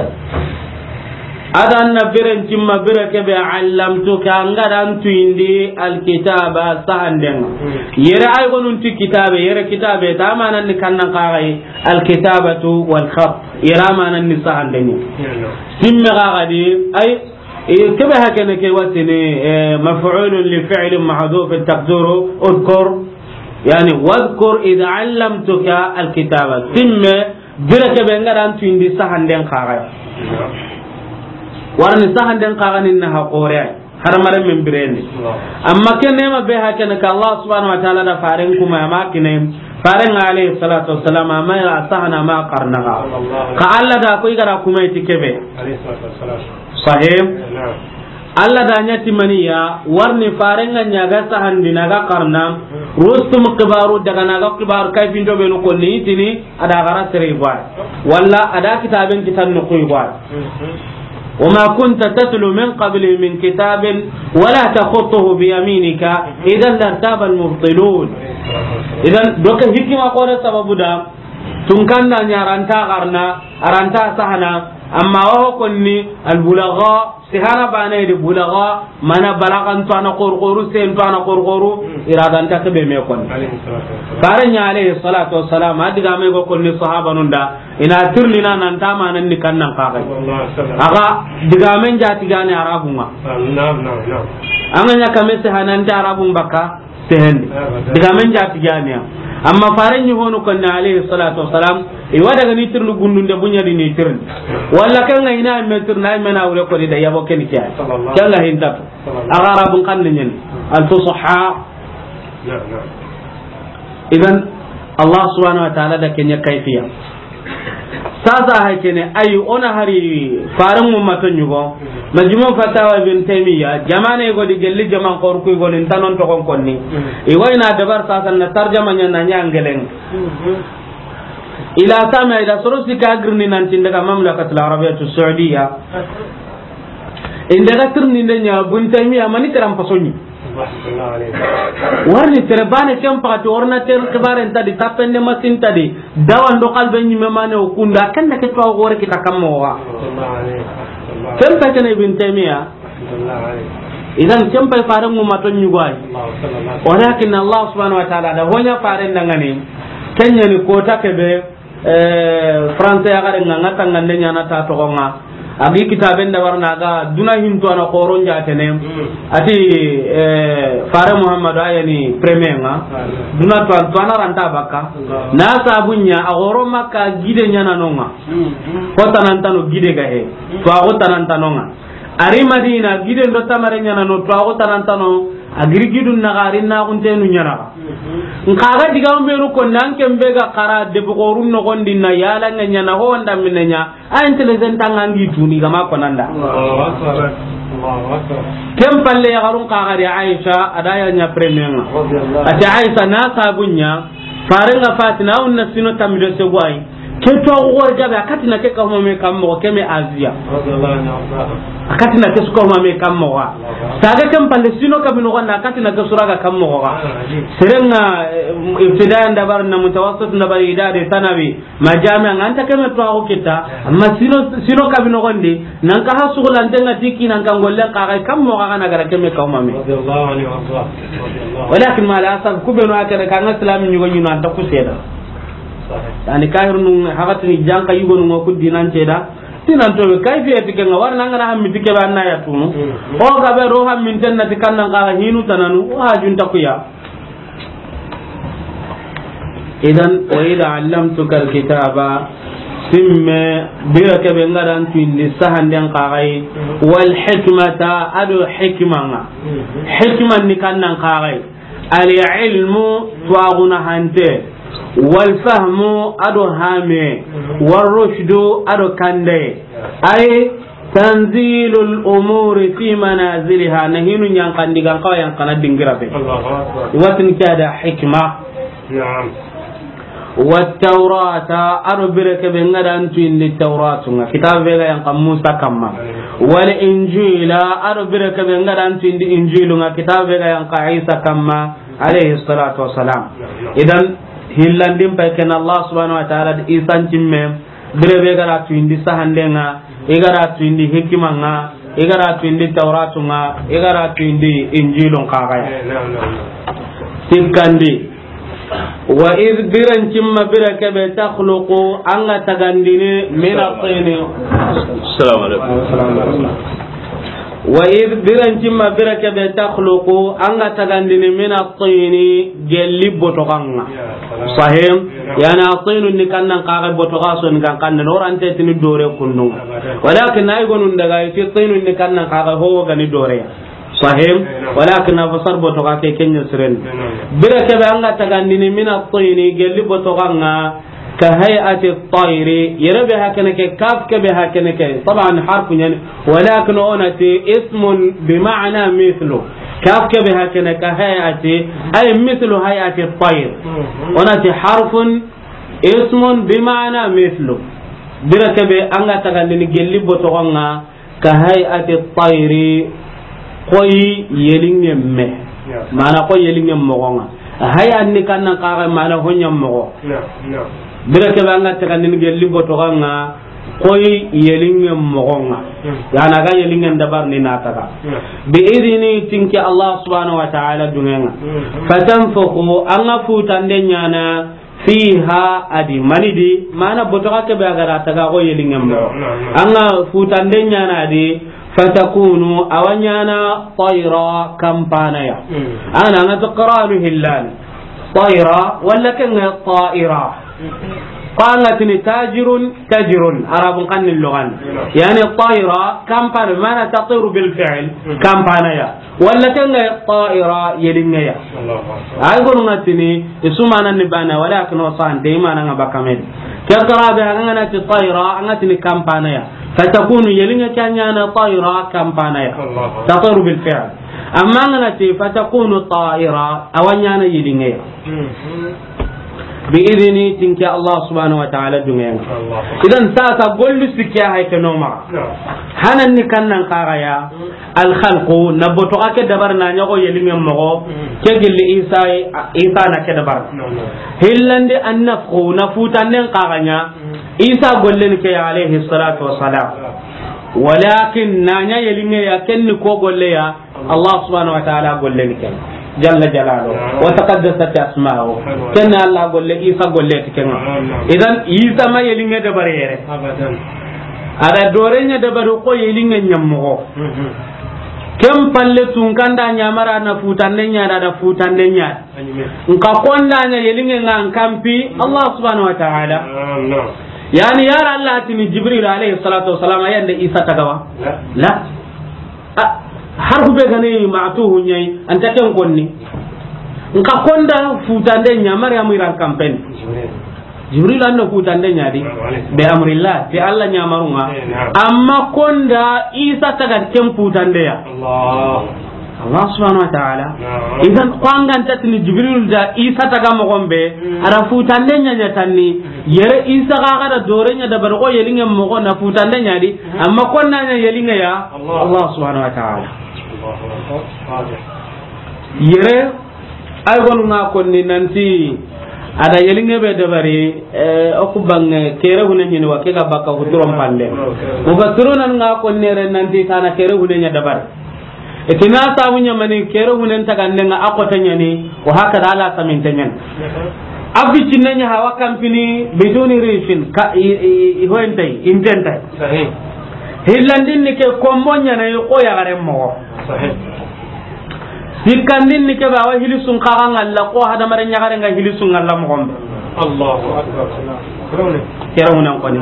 a da an na biren cimma bire ke be, allamtuka, an ga da an tuyindi alkitaba, sahanden ŋa. Yere ay gonun ti kitabe, yere kitabe ta manan ni kannan xaxay, alkitabatu wal khat. Yere manan ni sahanden ŋa. Simme xaxa di, ay, e, ke be hakene ke watini, e, maf'ulun li fi'lin mahdhuf taqdiru udhkur. Yani, wadhkur idh allamtuka alkitaba. Simme, bire ke be n ga da an tuyindi sahanden xaxa ya. Wa ri ni sahanden xaxa ni na ha xore ay. Hadamarenmen birendi. Amma ke nema be hakene ka Allah subhanahu wa ta'ala da faren kuma, a ma kine. Faren alayhi salatu wassalam, a ma ya sahana, a ma xarana xa. Xa Allah da ko i ga da kuma i ti ke be. Sahih. Alla da ɲa ti maniya, warni farenga ɲa ga sahandini, a ga xarana, Rustum xibaru daga na ga xibaru kayfinto benu konni, i tini a da xara sere yi. Walla a da kitaben kitan noxu yi. وما كنت تتلو من قبله من كتاب ولا تخطه بيمينك إذا لارتاب المبطلون. Idan, doke hikima xoore sababu da, tunkanda ɲa a ra nta xarana, a ra nta sahana, amma wo konni, albulaga, sihana bane di bulaga, mana balagan to a na xorxoru, sen to a na xorxoru, i ra ga nta kebe me konni. Fare ɲa alayhi salatu wassalam, a digame go konni sahabanun da, i na tirindini nan ta manan ni kannan kaxay. A ga digamen jatigane Arabunga. An ga ɲa kame sehana nta Arabun bakka, sehendi. Digamen jatigane ya. Amma fare ɲi honu konni alayhi salatu wassalam, i wa daga ni tirindini gundunde buɲa di ni tirindini. Walla kanga i na me tirindini, ay me na wure konni da yabo keni ke. Kanga hintatu. A ga Arabun xanne ɲeni. Al-fusha. Idan, Allah subhanahu wa ta'ala da ke ɲa kayfiya. Sasa hay kene, ay, o na hari faran mu mato ɲugo. Majmu' Fatawa Ibn Taymiya, jamane go di gelli jaman xorku go ni tanon to kon konni. I go i na dabar sasa na tarjama ɲa na ɲa angelen. Ila sama ila soro sika girni nan ti n daga Mamlakatul Arabiyatus Saudiya. I n daga tirindinde ɲa Ibn Taymiya mani teran pasoni. Warni tere bane ken pakati ordinateur xibare nta di, tapende masin nta di, dawa ndo xalbe ɲime mane o kunda, ken da ke to gore kita kammo wa. Ken pa kene Ibn Taymiya. Idan ken pa fare mu mato ɲugo ay. Walakin Allah subhanahu wa ta'ala da hoɲa fare ndangani. Ken ɲa ni kota kebe. Eh, France ya gare nga, nga tangande ɲana ta toxo nga. A gi kitaben da warna ga duna hinto a na xoron jatene. Mm. A ti, eh, fare Muhammadu a ya ni premier nga. Ah. Duna to an, to a na ra nta bakka. Allah. Na sabu ɲa a xoro Makka gide ɲana no nga. Mm, mm. Ko tanantano gide ga he. Mm. To a ko tanantano nga. A ri Madina, giden do tamare ɲana no, to a ko tanantano, a giri gidun na ga ri na kuntenu ɲana. Nka ga diga mbenu ko nan ken be ga xara de bugorun no gondi na yala nga ɲana ho nda minne ɲa, a intelligent tanga ngi tuni ga ma ko nanda. Allahu Akbar. Allahu Akbar. Ken palle ya garun ka ga ri Aisha, a da ya ɲa premier nga. Radiyallahu. A ti Aisha na sabu ɲa, fare nga Fatima, unna sino tamido se gwai. Ke to a wori gabe, a kati na ke ka huma me kam mo, ke me Aziya. Radiyallahu anhu. A kati na ke su ka huma me kam mo. Saga ken palle sino ka bino ganda, a kati na ke sura ga kam mo ga. Serenga, eh, ibtidai ndabar na mutawassit ndabar idade sanawi. Ma jami'a nga nta ke me to a kita. Amma sino, sino ka bino gondi. Nan ka ha sugulanten ŋa ti kinan kan gollen xa ga kam mo xa ga na gara kemme kawma me. Radiyallahu anhu warda. Radiyallahu. Walakin ma la asaf ku be no a kere kan islami ɲugo ɲunu an ta ku seeda. Sahih. Yani kahirunu hakatini janka yugonu ŋa ku dinan seeda. Tinan to kayfiyati ke ŋa warna ŋa na hammi ti ke ba na ya tunu. Mm. O ga be ro hammi ten na ti kan nan xa hinu tananu o hajun ta ku ya. Idan, wa idha allamtuka alkitaba, simme, bire ke be ŋa da an tuindi sahanden xa ga yi, wal hikmata, a do hikma ŋa. Hikma ni kan nan xa ga yi. Al ilmu, tuwaaxuna hante, wal fahmu, a do hame, wal rushdu, a do kande. Ay, tanzilul umuri fi manaziliha, na hinu ɲankandi gan kawa yan kana dingira be. Allahu Akbar. Watin ke da hikma. Naam. Wat tawrata, a do bire ke be ŋa da an tuindi tawratu ŋa, kitabe be ga yan kan Musa kamma. Wal injila, a do bire ke be ŋa da an tuindi injilu ŋa, kitabe be ga yan kan Isa kamma, alayhi salatu wassalam. Idan, hillandin pay ken Allah subhanahu wa ta'ala di Isa cimme, bire be ga da tuindi sahanden ŋa, i ga da tuindi hikima ŋa, i ga da tuindi tawratu ŋa, i ga da tuindi injilun xa ga ya. Eh, naam, naam, naam. Sikkandi. Wa idh biren cimma bire ke be takhluqu an ga tagandini min at-tini. Assalamu alaikum. Wa idh biren cimma bire ke be takhluqu an ga tagandini min at-tini gelli botoxan ŋa. Sahim. Yani at-tinu ni kan nan xa ga botoxa so ni kan kan no rante tini dore kundu ŋa. Walakin ay gonun daga iti tinu ni kan nan xa ga ho ga ni dore. Sahim. Walakin a fasar botoxa ke ken ɲa siren. Bire ke be an ga tagandini min at-tini gelli botoxan ŋa. كهيئة الطير. Yere be hakene ke, kaf ke be hakene ke, taban harfu ɲa ni, walakin o na ti ismun bi ma'na mithlu. Kaf ke be hakene كهيئة, ay mithlu hay'ati at-tayr. O na ti harfun ismun bi ma'na mithlu. Bire ke be an ga taga ni gelli botoxon ŋa, كهيئة الطير, xoyi yelinŋe me. Ya. Mana xoyi yelinŋe moxon ŋa. Haya ni kannan kaga mana hoɲa moxo. Ya, ya. Bire ke be an ga taga ni gelli botoxon ŋa, xoyi yelinŋe moxon ŋa. Hmm. Yana ga yelinŋe dabar ni na taga. Ya. Bi idini, ti n ke Allah subhanahu wa ta'ala duŋen ŋa. Hmm. فتنفخ, an ga futande ɲana, فيها, a di mani di, mana botoxa ke be a ga ra taga xoyi yelinŋe moxo. Naam, naam, naam. An ga futande ɲana a di, فتكون, a wa ɲana طيرا, kampana ya. Hmm. An ga na an ga ti qiranu hillani. طيرا, walla ken ga طائرا. Ko an ga tini تاجر, تجر, Arabun xannin loxan. Hmm. Yani طيرا, kampana, mana تطير بالفعل, hmm, kampana ya. Walla ken ga طائرا, yelinŋe ya. Allahu akbar. Ay gonu ŋa tini, i su mana ni bana, walakin o sante, i mana ŋa bakka me di. Ke qira be, an ga na ti طيرا, an ga tini kampana ya. فتكون, yelinŋe ke ɲana طيرا, kampana ya. Allahu akbar. تطير بالفعل. Amma an ga na ti فتكون طائرا, a wa ɲana yelinŋe ya. Hmm. Bi idini, ti n ke Allah subhanahu wa ta'ala duŋen ŋa. Allah. Idan sasa gollu sikki ya hay ke no ma. Naam. Hanan ni kannan kaga ya. Hmm. Al khalqu, na botoxa ke dabar na ɲa xoyi yelinŋe moxo. Hmm. Ke gelli Isa, Isa na ke dabar. Naam, naam. Hillandi an nafkhu, na futanden kaga ɲa. Hmm. Isa golle ni ke ya alayhi salatu wassalam. Naam. Walakin na ɲa yelinŋe ya, ken ni ko golle ya. Allah subhanahu wa ta'ala golle ni ken. Jalla jalaluhu. Naam. Wa taqaddasat asma'uhu. Naam. Ken Allah golle, Isa golle ti ken ŋa. Naam, naam. Idan Isa ma yelinŋe dabari yere. Abadan. A da dooren ɲa dabari xoyi yelinŋe ɲa moxo. Mhm. Ken palle tun kanda ɲamara na futande ɲa da, da futande ɲa. Aɲime. Nka konda ɲa yelinŋe ŋa an kampi, mhm, Allah subhanahu wa ta'ala. Naam, naam. Yani yara Allah tini Jibril alayhi salatu wassalam, a yande Isa taga wa? La. La. A, harfu be ga ni ma'tufu ɲa yi, an ta ken konni. Nka konda futande ɲa, Maryamu i ra an kampen. Jibril. Jibril an na futande ɲa di. Alayhi salam. Bi amrillah, ti Allah ɲamarun ŋa. Eh, naam. Amma konda Isa taga ken futande ya. Allah. Allah subhanahu wa ta'ala. Naam. Idan ko an ga nta tini Jibril da Isa taga moxon be, hmm, a ra futande ɲa ɲa tanni. Yere Isa ga ga da dooren ɲa dabari xoyi yelinŋe moxo na futande ɲa di. Amma konda ɲa yelinŋe ya, Allah. Allah subhanahu wa ta'ala. Allahu akbar. Yere, ay gonu ŋa konni nanti, a da yelinŋe be dabari, eh, o ku banŋe, kere hune ɲini wa, ke ga bakka huturon pande. Mufassiruna ŋa konni yere nanti, tana kere hune ɲa dabari. Itina sabu ɲa mani, kere hunen tagande ŋa, a xote ɲa ni, wa hakada ala saminte ɲa ni. A bicinne ɲa hawa kampini, biduni rishin, ka, i, i, i hoyentay, intentay. Sahih. Hillandin ni ke kombo ɲa na yi xo yaxaren moxo. Sahih. Sikkandin ni ke be a wa hilisun xaxa ŋalla xo hadamaren ɲaxaren ga hilisun ŋalla moxon be. Allahu akbar. Kere hunen koni.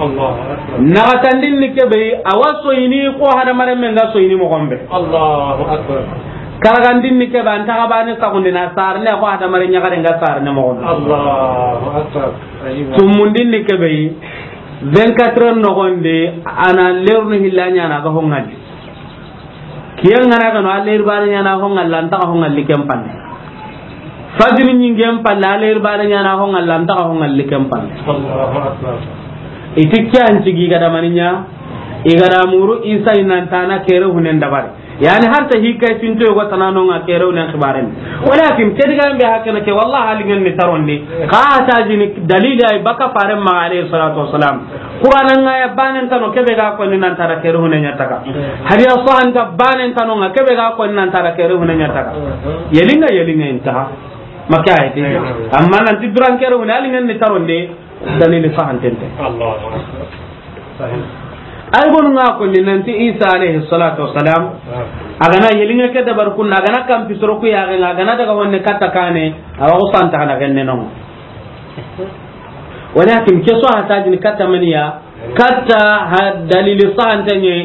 Allahu akbar. Naxatandin ni ke be a wa soyini xo hadamaren men ga soyini moxon be. Allahu akbar. Karagandin ni ke be an taxa bane saxundi na sarne xo hadamaren ɲaxaren ga sarne moxon be. Allahu akbar. Aywa. Tumundin ni ke be vingt-quatre heures noxon di, a na lerunu hilla ɲa na ga honŋa di. Kiyen ŋa na ga no, a leri bane ɲa na honŋa, lanta honŋa liken panne. Fajiri ɲingen palle, a leri bane ɲa na honŋa, lanta honŋa liken panne. Allahu akbar. I ti ke an cigi ga da mani ɲa, i ga da muru Isa i nan tana kere hunen dabari. Yani har ta hikay tinto yogo tanano ŋa kere hunen xibaren. Walakin ke diga be hakana ke, wallahi halingen ni tarondi. Ka ta jini dalili ay baka faren ma alayhi salatu wassalam. Qur'an ŋa ya banen tano ke be ga ko ni nan tara kere hunen ɲa taga. Hadiya sahanta banen tano ŋa ke be ga ko ni nan tara kere hunen ɲa taga. Yelinŋa, yelinŋa intaha. Maka ayati. Amma nan ti duran kere hunen, halingen ni tarondi. Dalili sahantente. Allahu akbar. Sahih. Ay gonu ŋa ko ni nanti Isa alayhi salatu wassalam, a ga na yelinŋe ke dabar kunna, a ga na kampi soro ku ya ga, a ga na daga honne katta kane, a wa ko santa na genne non. Walakin ke so hata jin katta maniya, katta ha dalili sahante ɲe,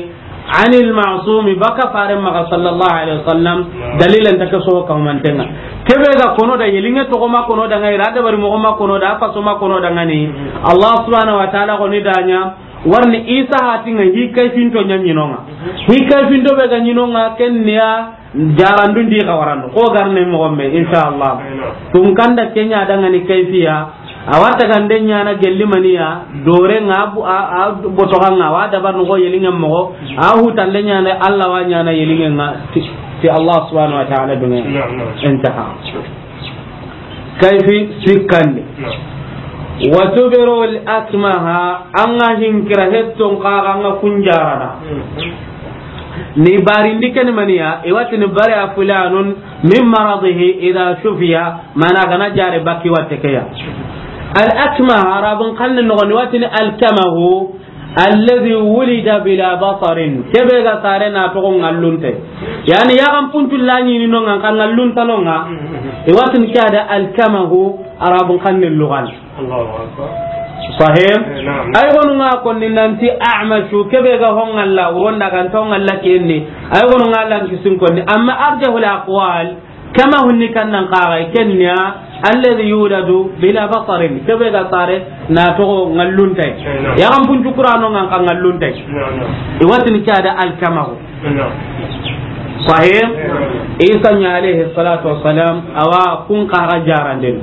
anil ma'sumi, baka faren maxa sallallahu alayhi wasallam, dalilan ta ke so ka mantenga. Kebe ga kono da, yelinŋe toxo ma kono da ŋa, i ra dabari moxo ma kono da, a faso ma kono da ŋa ni. Allah subhanahu wa ta'ala xo ni da ɲa, warni Isa hati ŋa hi kayfinto ɲa ɲi no ŋa. Hi kayfinto be ga ɲi no ŋa, ken ni ya jarandu ndi xa warano. Xo garne moxo me, inshallah. Tun kanda ke ɲa da ŋa ni kayfiya, a wa tagande ɲaana gelli maniya, dore ŋa bu-, a, a boto xa ŋa, a wa dabar no xo yelinŋe moxo, a hutande ɲaana, Allah wa ɲaana yelinŋe ŋa, ti, ti Allah subhanahu wa ta'ala dunŋe. Naam, naam. Intaha. Kayfi sikkandi. Naam. Wa tubri'ul akmaha, an ga hinkira hetton xa, an ga kunjarana. Hmm. Ni barindi ken maniya, i wa ti ni bari'a fulanun min maradihi idha shufiya, mana gana jare baki watte ke ya. Al akmah, Arabun xanne noxon di, i wa ti ni al kamahu, alladhi wulida bila basarin. Kebe ga sare na toxo ŋallunte. Yani, yaxan puncu la ɲi ni no ŋa, xa ŋallunta no ŋa. I wa ti ni ke ya da al kamahu, Arabun xanne luxan. Allahu akbar. Sahih? Eh, naam. Ay gonu ŋa konni nanti a'mashu, kebe ga ho ŋalla, uronda ga nta ho ŋalla kenni. Ay gonu ŋa lan kisin konni. Amma arjahul aqwal, kamahu ni kannan xaxa, ken ni ya, alladhi yuladu bila basarin. Kebe ga sare na toxo ŋallunte. Eh, naam. Yaxan puncu kurano ŋa, xa ŋallunte. Naam, naam. I wa ti ni ke ya da al kamahu. Sahih? Isa ɲa alayhi salatu wassalam, a wa kun xa ga jaranden.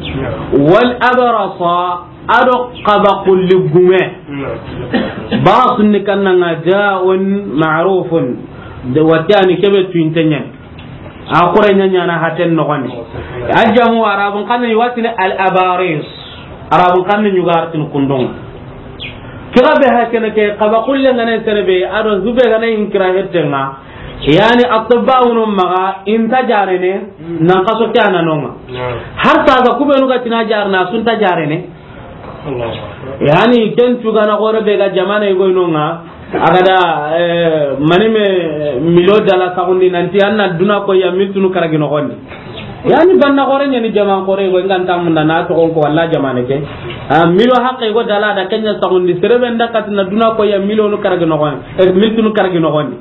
Wal abrasa, a do xaba kulli gume. Barasun ni kannan ŋa da'un ma'rufun. De watiyani kebe tuinte ɲa. A xore ɲa ɲaana haten noxon di. A jamu Arabun xanne i wa ti ni al abaris. Arabun xanne ɲugartin kundun. Kira be ha kene ke, xaba kulle ŋa ne sene be, a do hube ga ne hinkira hettenŋa. Yani, atibba wunu maxa, i nta jarene, nan xaso ke a na no ŋa. Naam. Har saga kubenu ga ti na jarana, su nta jarene. Allahu akbar. Yani, ken tugana xore be ga jamana i goy no ŋa, a ga da, eh, mani me milo dala saxundi nanti an na duna ko ya miltunu karagi noxon di. Yani, banna xore ɲa ni jaman xore, i go i ga nta munda na toxon ko walla jamane ke. A, milo haqqe i go dala da ken ɲa saxundi, sere be nda kati na duna ko ya milonu karagi noxon, eh, miltunu karagi noxon di.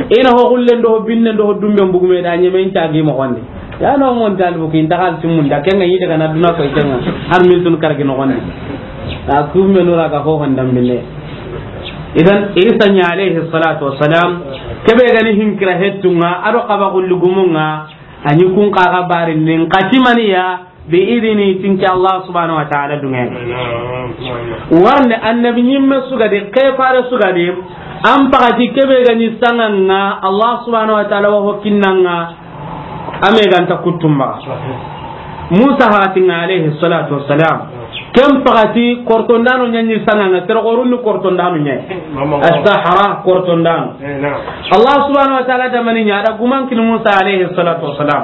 I na ho xullen do, ho binnen do, ho dumben bugume da ɲeme in cagi moxon di. Ya no mon talibu kin daxal timunda, ken ŋa yi daga na duna ko ken ŋa, har miltunu karagi noxon di. A, kume nura ga ho hondam binne. Idan, Isa ɲa alayhi salatu wassalam, kebe ga ni hinkira hettunŋa, a do xaba kulli gumunŋa, a ɲi kun xa ga bari nin xatimaniya, bi idini, tinke Allah subhanahu wa ta'ala dunŋe. Warne annabi ɲimme su ga di, xefare su ga di, an paxati kebe ga ni sanŋanŋa, Allah subhanahu wa ta'ala wa ho kinnanŋa, a me ga nta kuttumba. Musa hatinŋa alayhi salatu wassalam. Ken paxati kortondano ɲa ɲi sanŋanŋa, sere xorun ni kortondano ɲa. As-Sahara kortondano. Eh, naam. Allah subhanahu wa ta'ala da mani ɲa, a da guman kini Musa alayhi salatu wassalam.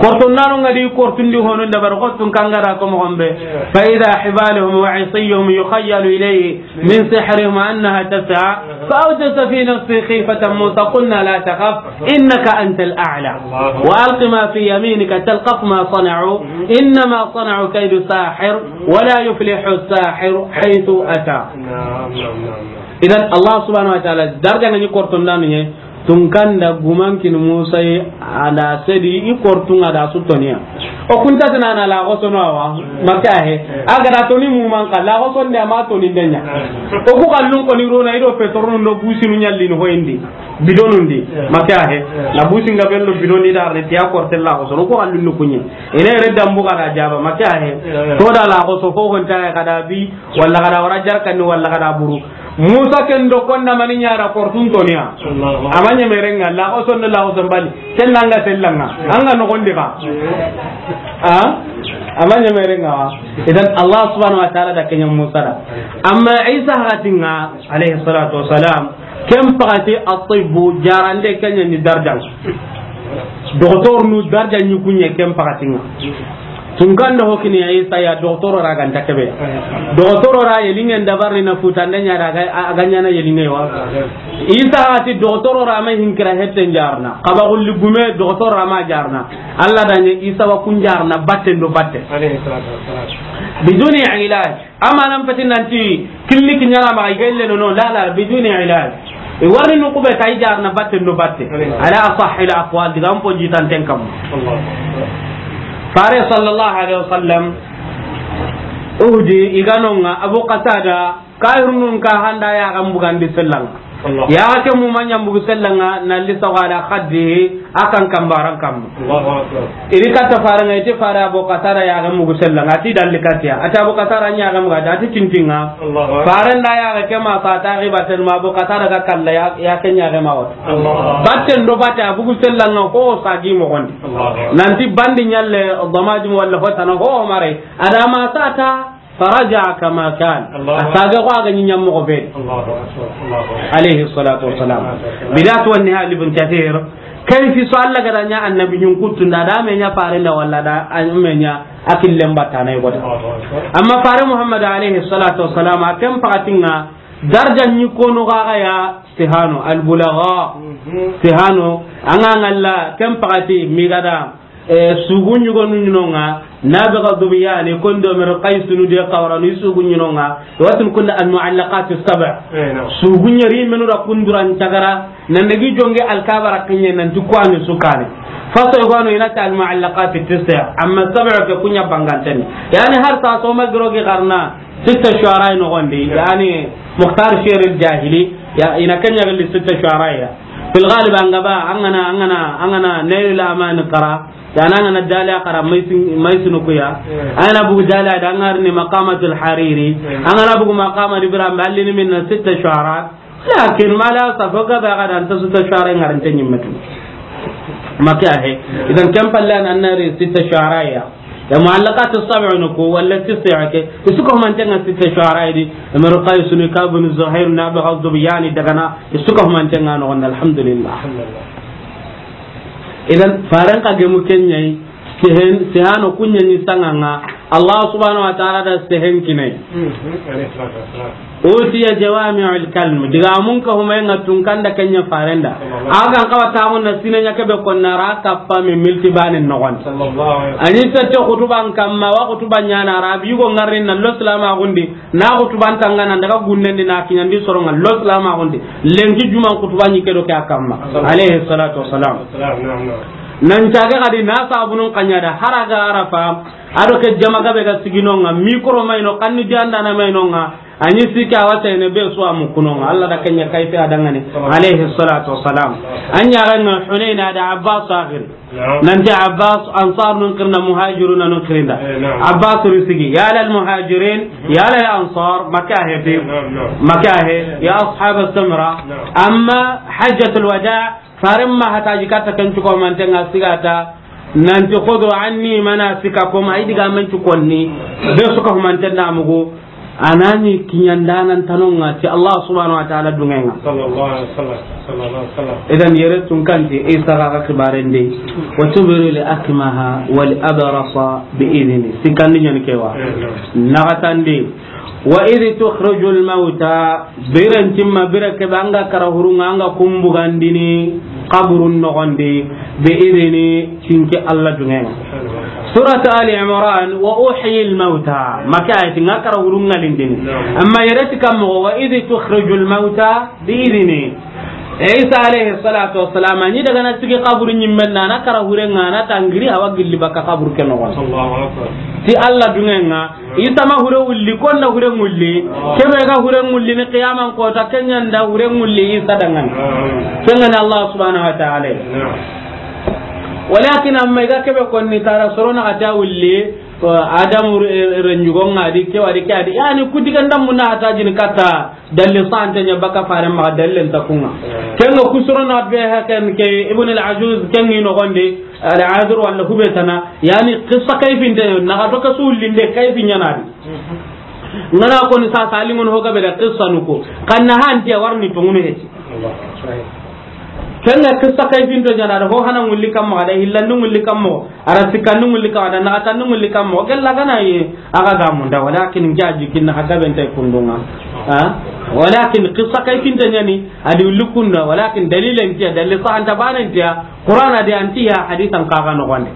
Kortondano ŋa di kortundi hono dabar xotun kangara ko moxon be. Fa idha hibaluhum wa isiyuhum yukhayyalu ilayhi min sihrihim annaha tas'a. Fa awjasa fi nafsihi khifatan Musa, qulna la takhaf, innaka antal a'la. Wa alqi ma fi yaminika talqaf ma sana'u, innama sana'u kaydu sahir, wa la yuflihu as-sahiru haythu ata. Naam, naam, naam, naam. Idan, Allah subhanahu wa ta'ala, darja ŋa ni kortondano ɲa, tunkanda guman kini Musa yi, a da sedi, i kortunŋa da su toniya. O kunta tana na la xosono awa, maka he. A ga da toni muman xa, la xosonde a ma toni nde ɲa. O ku xallun ko ni rona, i do petrolun do businu ɲallini ho indi. Bidonun di, maka he. La businga bello bidon di da re tiya korte la xosono, o ku xallun ni kunye. Ine re dambu ga da jaba, maka he. To da la xoso fo honta ga da bi, walla ga da wara jarkani, walla ga da buru. Musa ken do konda mani ɲa da kortun toniya. Allahu akbar. A ma ɲeme renga, la xoson la xoson bali. Tellanga, tellanga. An ga noxon di xa. A? A ma ɲeme renga wa. Idan Allah subhanahu wa ta'ala da ken ɲa Musa da. Amma Isa hatinŋa, alayhi salatu wassalam, ken paxati atibbu jarande ken ɲa ni darjan. Doktor nu darjan ɲi kunye ken paxatinŋa. Tunkanda ho kini ya Isa ya, doxotoro ra ga nta kebe. Doxotoro ra yelinŋen dabarini na futande ɲa da, a ga ɲaana yelinŋe wa. Isa a ti doxotoro ra ma hinkira hette n jarana. Xaba xulli gume doxotoro ra ma jarana. Alla da ɲa Isa wa kun jarana batte ndo batte. Alayhi salatu wassalam. Biduni ilaj. Amma nan peti nanti clinique ɲaana ma i ga ille no, no, la, la, biduni ilaj. I warni nu kube tay jarana batte ndo batte. Alayhi. Ala asahhil aqwal, diga n po jitan ten kam. Allah. Fare sallallahu alaihi wasallam, Uhudi i ga no ŋa, Abu Qatada, kafirunun ka handa ya ga mbugandi sellan ŋa. Allah. Ya ke mu manya mbugu sellan ŋa, na li sawala khaddihi, a kan kambaran kam. Allahu akbar. I ri katta fare ŋa, i ti fare Abu Qatada ya ga mbugu sellan ŋa, a ti dalli katiya. A ti Abu Qatada nya ga mbuga, a ti tintinga. Allahu akbar. Fare nda ya ga ke ma sa ta riba tel ma Abu Qatada ga kalla ya, ya ke nya ga ma wata. Allahu akbar. Batten do batte a bugu sellan ŋa ko sagi mo gondi. Allahu akbar. Nanti bandi nyalle damajum walla hotana ho mare. Adama sata faraja kama kan. Allahu akbar. A saga ko a ga nyi nyam mo be. Allahu akbar. Allahu akbar. Alayhi salatu wassalam. Bidayatu wan Nihaya Ibn Kathir. Kayfi so Allah ga da nya annabi nyun kutunda da me nya fare nda walla da a me nya akil lemba tanay goda. Allahu akbar. Amma fare Muhammad alayhi salatu wassalam a ken pakatinga darja nyi kono ga ya Sihano, al-bulagha. Mhm. Sihano, an ga ŋalla, ken pakati, mi ga da, eh, sugu ɲugonu ɲi no ŋa, Nabiga Zubiyani, kondo mero Qaysunu de Qawranu, i sugu ɲi no ŋa, watin kunda al-mu'allaqat as-sab'. Eh, naam. Sugu ɲeri menu da kunduran tagara, nan dagi jonge alkabara kinye nan ti kwani sukani. Faso yogo no i na ti al-mu'allaqat at-tis'a, amma sab' ke kunya banganteni. Yani har sa so ma girogi garna, Sitta Shu'ara nogondi, yani Mukhtar Sher al-Jahili, ya, i na ken ɲa gelli Sitta Shu'ara ya. Fil ghalib an ga ba, an ga na, an ga na, an ga na Nailul Amani qara, yani an ga na Daliya qara, Maysin, Maysin ku ya. An ga na bugu Daliya da, an ga ri ni Maqamatul Hariri. An ga na bugu Maqamat Ibrahim, ballini minna Sitta Shu'ara. Lakin ma la safo ga ba ga da an ta Sitta Shu'ara ŋa ri nta ɲi metu. Maka he. Idan ken palle an na ri Sitta Shu'ara ya. Ya mu'allaqat as-sab' no ko, wala tis'a ke, i su ko manten ŋa Sitta Shu'ara di, Imru Qaysuni, Ka'b bin Zuhair, Nabiga Zubiyani daga na, i su ko manten ŋa no, alhamdulillah. Idan, faran ka gemu ken ɲa yi, sehen, sehano kunya ni sanga ŋa, Allah subhanahu wa ta'ala da sehen kinai. Mhm. Utiya jawami'ul kalim. Diga mun ka huma ŋa tun kanda ken ɲa faren da. A ga n kawa tamun na sine ɲa kebe konna ra kappa mi milti banin nogon. Sallallahu alaihi wasallam. Ani sette khutuban kamma wa khutuban ɲa na rabi go ŋarin na lo salama gundi. Na khutuban tanga nan daga gunnen di na kiɲandi soronga lo salama gundi. Lenki juman khutuban ɲi kedo ke a kamma. Sallallahu alaihi wasallam. Alayhi salatu wassalam. Salam, naam, naam. Nan caga kadi na sabunun kanya da haraga Arafa. Ado ke jama gabe ga siginonga, mikro mayno, kanni janda na mayno nga. Ani sika wata ene be so amu kunonga. Allah da kenya kayfi adangani. Alayhi salatu wassalam. Anya ran Hunayn da Abbas akhir. Naam. Nanti Abbas Ansar nun kirna Muhajirun nun kirinda. Eh, naam. Abbas risigi. Ya lal Muhajirin, ya lal Ansar, Makka he fi. Eh, naam, naam. Makka he, ya ashab as-Samra. Naam. Amma Hajjatul Wada, Faren ma hataji katta ken cuko manten ŋa sigata, nanti, "Khudhu anni manasikakum," ay diga men cukonni, be suka humanten da mugu, anani kiɲandanan tanonga ti Allah subhanahu wa ta'ala dungenga. Sallallahu alaihi wasallam, sallallahu alaihi wasallam. Idan yere tun kanti, Isa ga ga kibaren de, "Wa tubri li akmaha wal abrasa bi idni." Sikandi ɲani kewa. Eh, naam. Nagatandi, "Wa idh tukhrijul mauta," biren timma, bire kebe anga kara hurunga, anga kumbugandini kaburun nogondi, bi idini, tinke Allah dungenga. Surat Ali Imran, "Wa uhyil mauta," maka ayati nga kara hurunga lindini. Amma yereti kammo, "Wa idh tukhrijul mauta bi idini." Isa alayhi salatu wassalam, ani daga na sigi kaburu nyimmen na, na kara hurenga, na tangiri hawa gilli baka kaburu ke nogon. Allahu akbar. Ti Allah dungenga, Isa ma hure wulli, konda hure ngulli. Kebe ga hure ngulli ni qiyaman kota, kenyanda hure ngulli Isa dangan. Kengani Allah subhanahu wa ta'ala. Walakin amma iga kebe konni tara sorona kata wulli, Adamu re-, renjugo ngadi, ke wadi, ke adi. Yani kudiga ndamuna hata jini kata. Dalli sante nya baka fare ma dalli nta kunga. Kenga kusurona be hakan ke Ibn al-Ajuz kengi no gonde, al-Azur wala hubetana, yani qissa kayfinte na ga to ka sulinde kayfi nyanadi. Ngana ko ni sa salingon ho gabe da qissa nuko. Kanna hanti warni to ngunu heti. Kenga qissa kayfinto nyanadi ho hana ngulli kamma da hillandu ngulli kamma. Ara sikkandu ngulli kamma, da naxatandu ngulli kamma, o gella gana ye, aga gamunda, walakin nke a jikinna xa gabe nta kundunga. Ha? Walakin qissa kayfinte ñani, adi wulli kunda, walakin dalile ntiya, dalile sahanta bane ntiya, Qur'ana di antiya, hadisan kaga noxonde.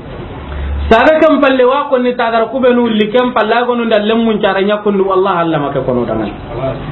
Saga ken palle wa konni tagara kubenu wulli ken palle, a gonu nda lemmun cara ña kundu, wallahi Allah ma ke kono dangani.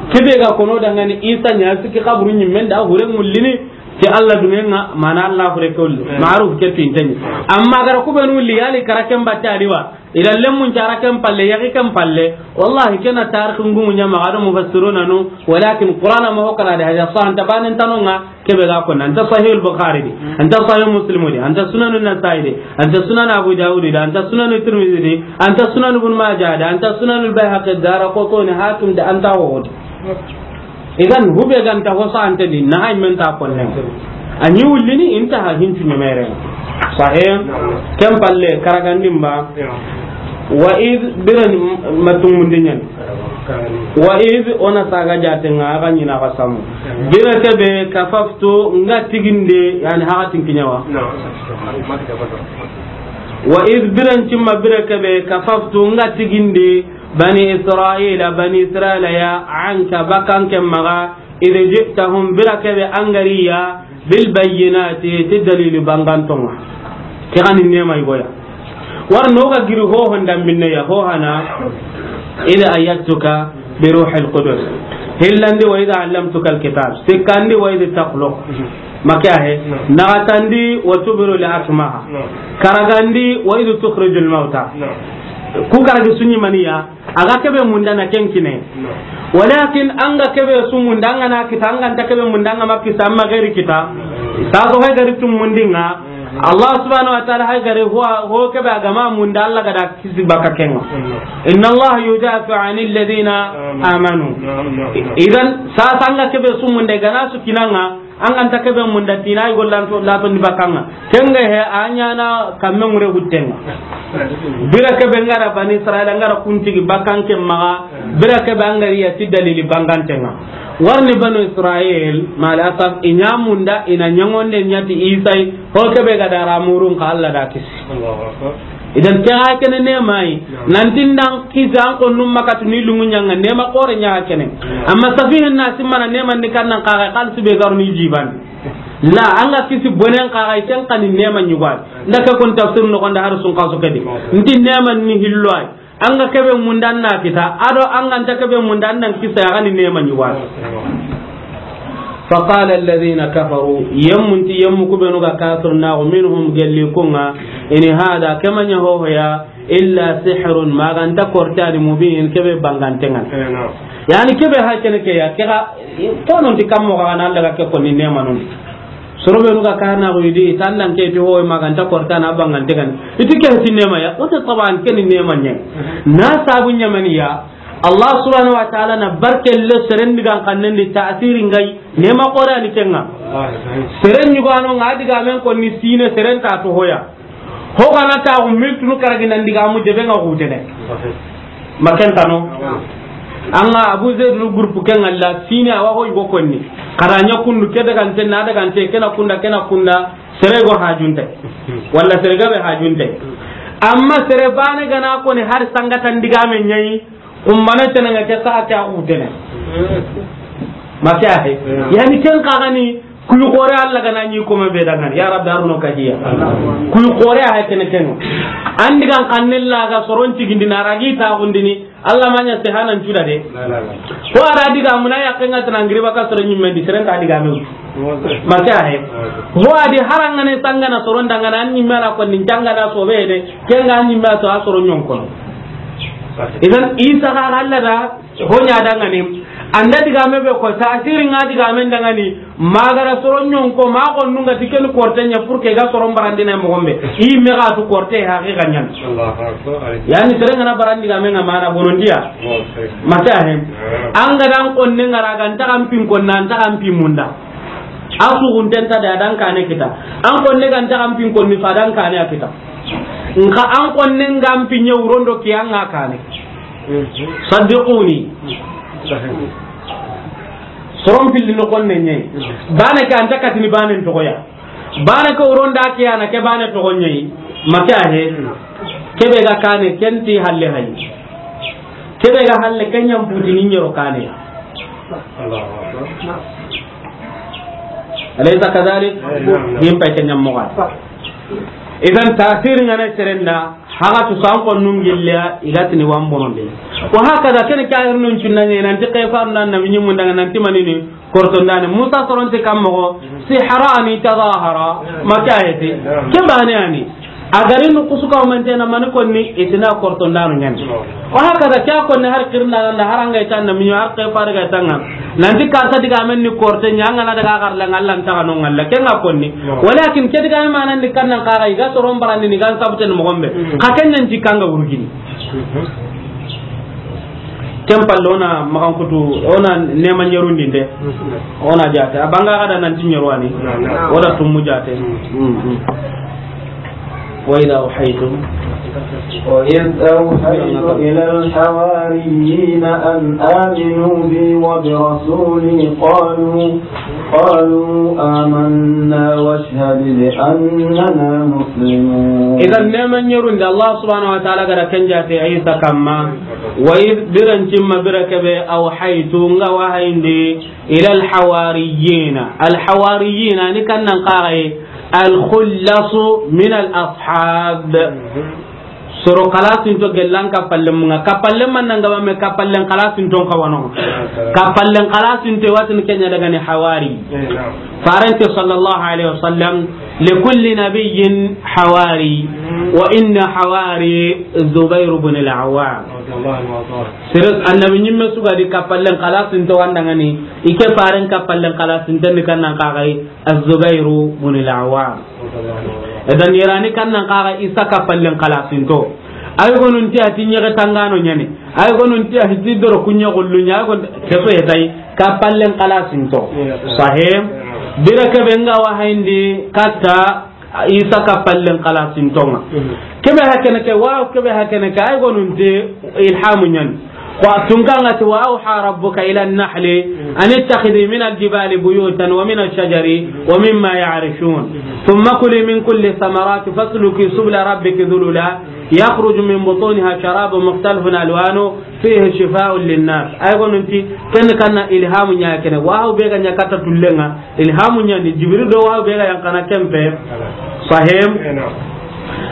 Kebe ga kono dangani, Isa ña sikki xaburu ñimmen da, hure ngullini, Ke Alla duŋe ŋa, mana Alla fure ke wulli. Ma'ruf ke pinteni. Amma gara ku benu wulli, yali kara ken batte a di wa. Ila lemmun cara ken palle, yagi ken palle. Wallahi, ke na tarikh ngumu ɲa ma, a do mufassiruna nu, walakin Qur'ana ma ho kala de, hada sah, anta banen tano ŋa, ke be ga ko, anta Sahih al-Bukhari di, anta Sahih Muslim di, anta Sunan an-Nasa'i di, anta Sunan Abu Dawud di, anta Sunan Tirmidhi di, anta Sunan Ibn Majah di, anta Sunan al-Bayhaqi, Daraqutni, Hakim di, anta ho di. Idan, hube ganta ho sante di, na hay men ta kolle. A ɲi wullini, inta ha hincu ɲemere. Sahih. Ken palle, karagandin ba. Wa id biran matungundi ɲan. Wa id ona saga jatenga, aga ɲina ga samu. Bira kebe kafaftu nga tiginde, yani hakatin kinyawa. Wa id biran cimma bira kebe kafaftu nga tiginde, Bani Israila, Bani Israila ya, anka bakan ke maga, id ji'tahum, bira kebe angariya, bil bayyinati, ti dalili bangantonga. Ke gani nema igoya. War no ga giri ho honda minne ya ho hana, id ayyatuka bi ruhil qudus. Hillandi wa id allamtuka al kitab. Sikandi wa id takhluq. Makiya he. Nagatandi wa tubri'u al akmaha. Karagandi wa id tukhrijul mauta. Ku karagi sunyi maniya. Aga kebe munda na ken kine. Walakin anga kebe su munda, anga na kita, anga nta kebe munda, anga ma kita, amma geri kita. Sa so hay gari tum mundinga. Allah subhanahu wa ta'ala hay gari ho, ho kebe agama munda, Allah gada kisi baka kenga. Inna Allah yudafi'u anil ladina amanu. Idan sa sanga kebe su munda gana su kinanga. An ga nta kebe munda tina, i gollan to, la to ni bakanga. Kenga he, a ɲana kamme ŋure huttenga. Bira kebe ngara Bani Israila, ngara kuntigi bakan ke maga. Bira kebe angari ya ti dalili bangantenga. Warni Banu Israil, mal asaf, i ɲa munda, i na ɲangonde ɲati Isai, ho kebe ga dara murun ka Allah da kisi. Idan ke ga kene nema yi. Nanti ndan kisi an konnun makatu ni lungu ɲanga nema kore ɲa kene. Amma safihin na simmana nema ni kannan kaga kalsi be garu ni jiban. La, anga kisi bonen kaga ken kani nema ɲugwa. Nda ka kon tafsir no konda har sun kaso kedi. Nti nema ni hillo ay. Anga kebe mundan na kita, ado anga nta kebe mundan nan kisa ya gani nema ɲugwa. فقال الذين كفروا, yemmun ti yemmu kubenu ga kafir na, minhum, gelli kunga, in hada, kema ɲa ho ya, illa sihrun, maganta kortani, mubin, kebe bangantengan. Yani kebe ha kene ke ya, kega, tonon ti kammo ga na Allah ga ke konni nema non. Soro benu ga kana go idi, tandan ke ti ho maganta kortana bangantengan. Iti ke ti nema ya, o te taban ke ni nema ɲa. Na sabu ɲamani ya, Allah subhanahu wa ta'ala na barke le serendi gan kannen di ta'siri ngai, nema kore ni kenga. Seren ɲugano nga diga men konni sine seren ta to hoya. Ho gana ta ko miltunu karagi nan diga mu debe nga hutene. Makentano. Anga Abu Zaid no groupe kenga la sine awa ho go konni. Karanya kundu ke daga nte na daga nte kena kunda kena kunda sere go hajunte. Walla sere gabe hajunte. Amma sere bane gana koni har sangatan diga men ɲayi. Kumbana tenanga ke sa ke a hutene. Makiya he. Yani ken kagani kuy kore Allah gana ɲi kome be dangani. Ya Rabbi, arno ka hiya. Kuy kore a kene ken. Andi gan kannilla ga soron tigindi na ragi ta gundini. Allah manya se hanan cuda de. Ko ara diga muna ya kenga tanangiri baka soron ɲimme di seren ta diga me. Makiya he. Ho adi harangane sangana soron dangana an ɲimme na ko nin jangana sobe de. Kenga an ɲimme to a soron ɲon kono. Idan Isa ga Allah da ho ɲa dangani. Anda diga me be ko tasiri nga diga men dangani. Magara soron ɲon ko ma ko nunga tiken korte ɲa pour que ga soron barandina mo gombe. I me ga tu korte haqiqa ɲan. Allahu akbar. Yani seren ngana barandi ga men ngama na bonondiya. Mata he. Anga dan konne ngara gan ta kan pin konna, an ta kan pin munda. Asu gunten ta da dan kane kita. An konne gan ta kan pin konni fa dan kane a kita. Nka an konne ngam pin ɲa wurondo ki anga kane. Saddiquni. Soron pilli no konne ɲe. Bana ke anta katini bane togoya. Bana ke wuronda ke ana ke bane togo ɲe. Maka he. Kebe ga kane kenti halle hay. Kebe ga halle kenyam putini ɲero kane. Allahu akbar. Alaysa kadhalik? Dim pay kenyam moga. Idan tasir ngana serenda. Haga tu san ko nungilla igatini wan bonondi. Wa hakaza kene kayir nun cunna ne nan ti kayfa nan na minyi mundanga nan ti manini. Kortondaani, Musa soronte kan moxo, sihrani tazahara, makayeti. Ke baane a ni. A gari nu kusuka o mantena mani konni, i ti na kortondaanu ñaani. Wa hakaza, ke a konni har kirna ganda, har an ga i tan na miño, har ke fare ga tanga. Nanti karta digamen ni korte ña, an ga na daga garla, Alla nta ga no ngalla, ke nga konni. Walakin ke digamen manan di kannan kaga, i ga soron barandi ni gan sabten moxo be. Xa ken ñan ti kanga wurgini. Ken palle o na maxankutu, o na neema ñerundinde, o na jaate. A banga xa da nanti ñeru wa ni, o da tumu jaate. Mm, mm. وإذ أوحيتم وإذ أوحيت إلى الحواريين أن آمنوا بي وبرسولي قالوا قالوا آمنا واشهد بأننا مسلمون. Idan, neema ñerunde, Allah subhanahu wa ta'ala ga da ken jaate Isa kamma. Wa idh, biran cimma, bira kebe, awhaytu, nga wahayindi, ila alhawariyina. Alhawariyina ni kannan kaga yi, alkhullasu min alashab. Soro kalasinto gellan kapallen munga. Kapallen man nan gaba me kapallen kalasinton kawano. Kapallen kalasinto watin kenya daga ni hawari. Farante sallallahu alaihi wasallam, likulli nabiyyin hawari, wa inna hawari Zubair ibn al-Awwam. Sere annabi ñimme su ga di kapallen kalasinto wandangani, ike faren kapallen kalasinten ni kannan kaga yi, Az-Zubairu bun al-Awwam. Edan, yerani kannan kaga Isa kapallen kalasinto. Ay gonun ti a ti ñege tangano ñani. Ay gonun ti a ti doro kuña gullu ña, ay gon keso etay kapallen kalasinto. Sahim. Bira kebe nga wahayindi katta Isa kapallen kalasintonga. Kebe hakene ke, wa kebe hakene ke, ay gonun ti ilhamu ñani. Wa tunkanga ti, وأوحى ربك إلى النحل أن اتخذي من الجبال بيوتا ومن الشجر ومما يعرشون ثم كلي من كل الثمرات فاسلكي سبل ربك ذللا يخرج من بطونها شراب مختلف ألوانه فيه شفاء للناس. Ay gonun ti ken kanna ilhamu ña kene. Wa be ga ña katta tullenga. Ilhamu ñani Jibril do wa be ga yankana kempe. Sahim.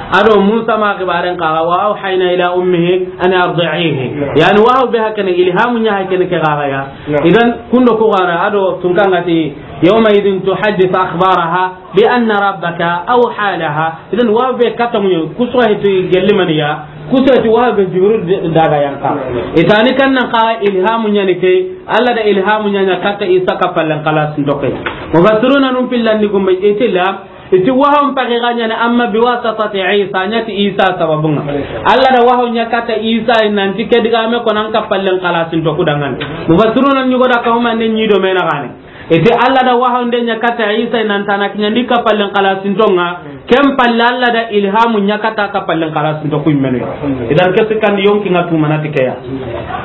Ado Musa ma xibaren kaga, وأوحينا إلى أمه أن أرضعيه. Yani wa be hakene ilhamu ña hakene ke kaga ya. Idan kundo ko gara ado tunkanga ti, يومئذ تحدث أخبارها بأن ربك أوحى لها. Idan wa be katamu kusuwa hiti gellimaniya. Kuseti wa be Jibril daga yanka. Itani kannan kaga ilhamu ñani ke, Allah da ilhamu ña ña katta Isa kapallen kalasinto ke. Mufassiruna num pillandi gumbe itila, iti wahon pagi ga ñani amma biwasatati Isa, ñati Isa sababunga. Allah da wahon ña katta Isa nanti ke digame ko nan kapallen kalasinto kudangani. Mufassiruna ñugo da kahuma ne ñido mena gane. Iti Allah da wahonde ña katta Isa nan tana kiñandi kapallen kalasintonga, ken palle Allah da ilhamu ña katta kapallen kalasinto ku immenu. Idan ke sikkandi yonki nga tumana tikeya.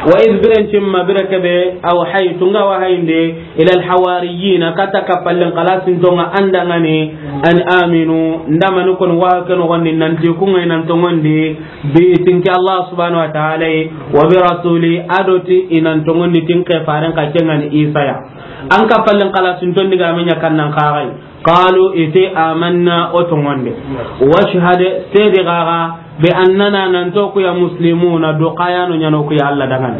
Wa iz biren cimma bire kebe awhaytu nga wahayinde ila alhawariyina katta kapallen kalasintonga andangani an aminu ndamani kon wa ke nogondi nanti kunga inan tongondi bi tinki Allah subhanahu wa ta'ala wa bi rasuli adoti inan tongondi tinke faren ka kengani Isa ya. An kapallen kalasinton digame ña kannan kaxay. Qalu iti amanna o tongonde. Washhad sedi gaga bi annana nanto kuya muslimuna do kayano ñano kuya Allah dangan.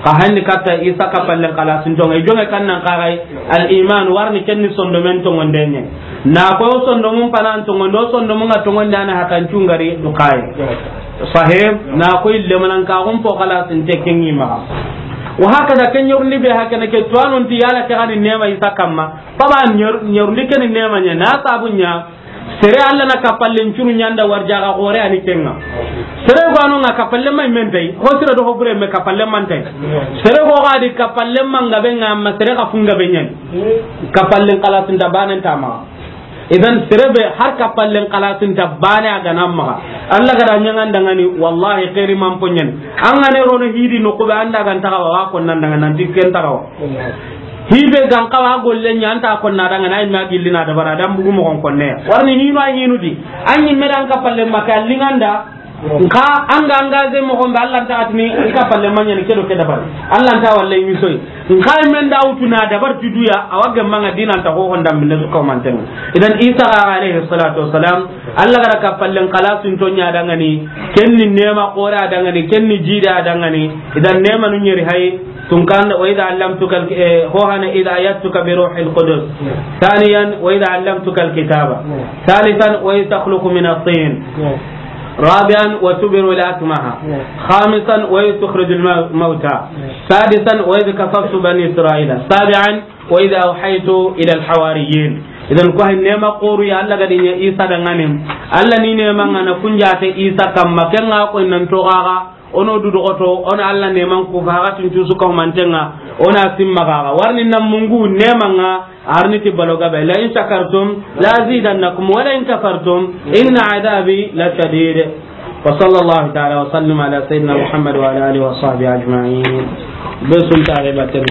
Ka hanni katta Isa kapallen kalasintonga. I jonge kannan kaxay al iman warni kenni sondomen tongonde ñe. Na ko sondomun panan tongonde o sondomun ga tongonde ana hatan cungari do kay. Sahib na ko ille manan ka gum po kalasinte kengi ma. Wa hakaza ken ñorundi be hakene ke tuwanon ti yala ke gani nema Isa kamma. Paba ñor-, ñorundi keni nema ña, na sabu ña, sere Allah na kapallen cunu ñanda warjaga gore ani kenga. Sere gano nga kapallen may mentay, ho sere do ho bure me kapallen mantay. Sere go gadi kapallen manga be nga amma sere ka funga be ñan. Kapallen kalasinta banen tama. Idan sere be har kapallen kalasinta bane a gana maga. Allah gada ñangandangani, wallahi, xeeri man poñen. An gane rono hidi no kube anda gan tagawa, wa kon nan daga nan dikken tagawa. Hibe gan kawa golle ñanta kon na daga na imme a gillina dabara dan bugu mogon konne. Warni hinu a hinu di. An ñimme dan kapallen maka linganda. Nka an ga engagé moxo be, Allah nta a tini i ka falle ma ɲaana ke do ke dabari. Allah nta walla i misoyi. Nka men da wutu na dabar ti duya, a wa gemma ŋa diina nta xo honda minne su ka manten. Idan Isa alayhi salatu wassalam, Allah ga da ka fallen xalasin to ɲa dangani, ken ni neema xoore a dangani, ken ni jiide a dangani. Idan neemanu ɲeri hay, tunkan, وإذ علمتك ال-, eh, ho hana, إذ أيدتك بروح القدس. ثانيا، وإذ علمتك الكتاب. ثالثا، وإذ تخلق من الطين. رابعا، وتبرئ الأكمه. خامسا، وإذ تخرج الموتى. سادسا، وإذ كففت بني إسرائيل. سابعا، وإذ أوحيت إلى الحواريين. Idan ko hay neema xooru ya Allah ga di ɲa Isa dangani. Allah ni neema ŋa na kunjaate Isa kamma, ken ŋa ko nan to gaga. Ono du dogoto, ono Allah neeman ku faxatin cusu ka humanten ŋa, ona simma gaga. Warni nan mungu neeman ŋa, arni ti balo gabe. لئن شكرتم لأزيدنكم ولئن كفرتم إن عذابي لشديد. وصلى الله تعالى وسلم على سيدنا محمد وعلى آله وصحبه أجمعين. Be sun tare batten.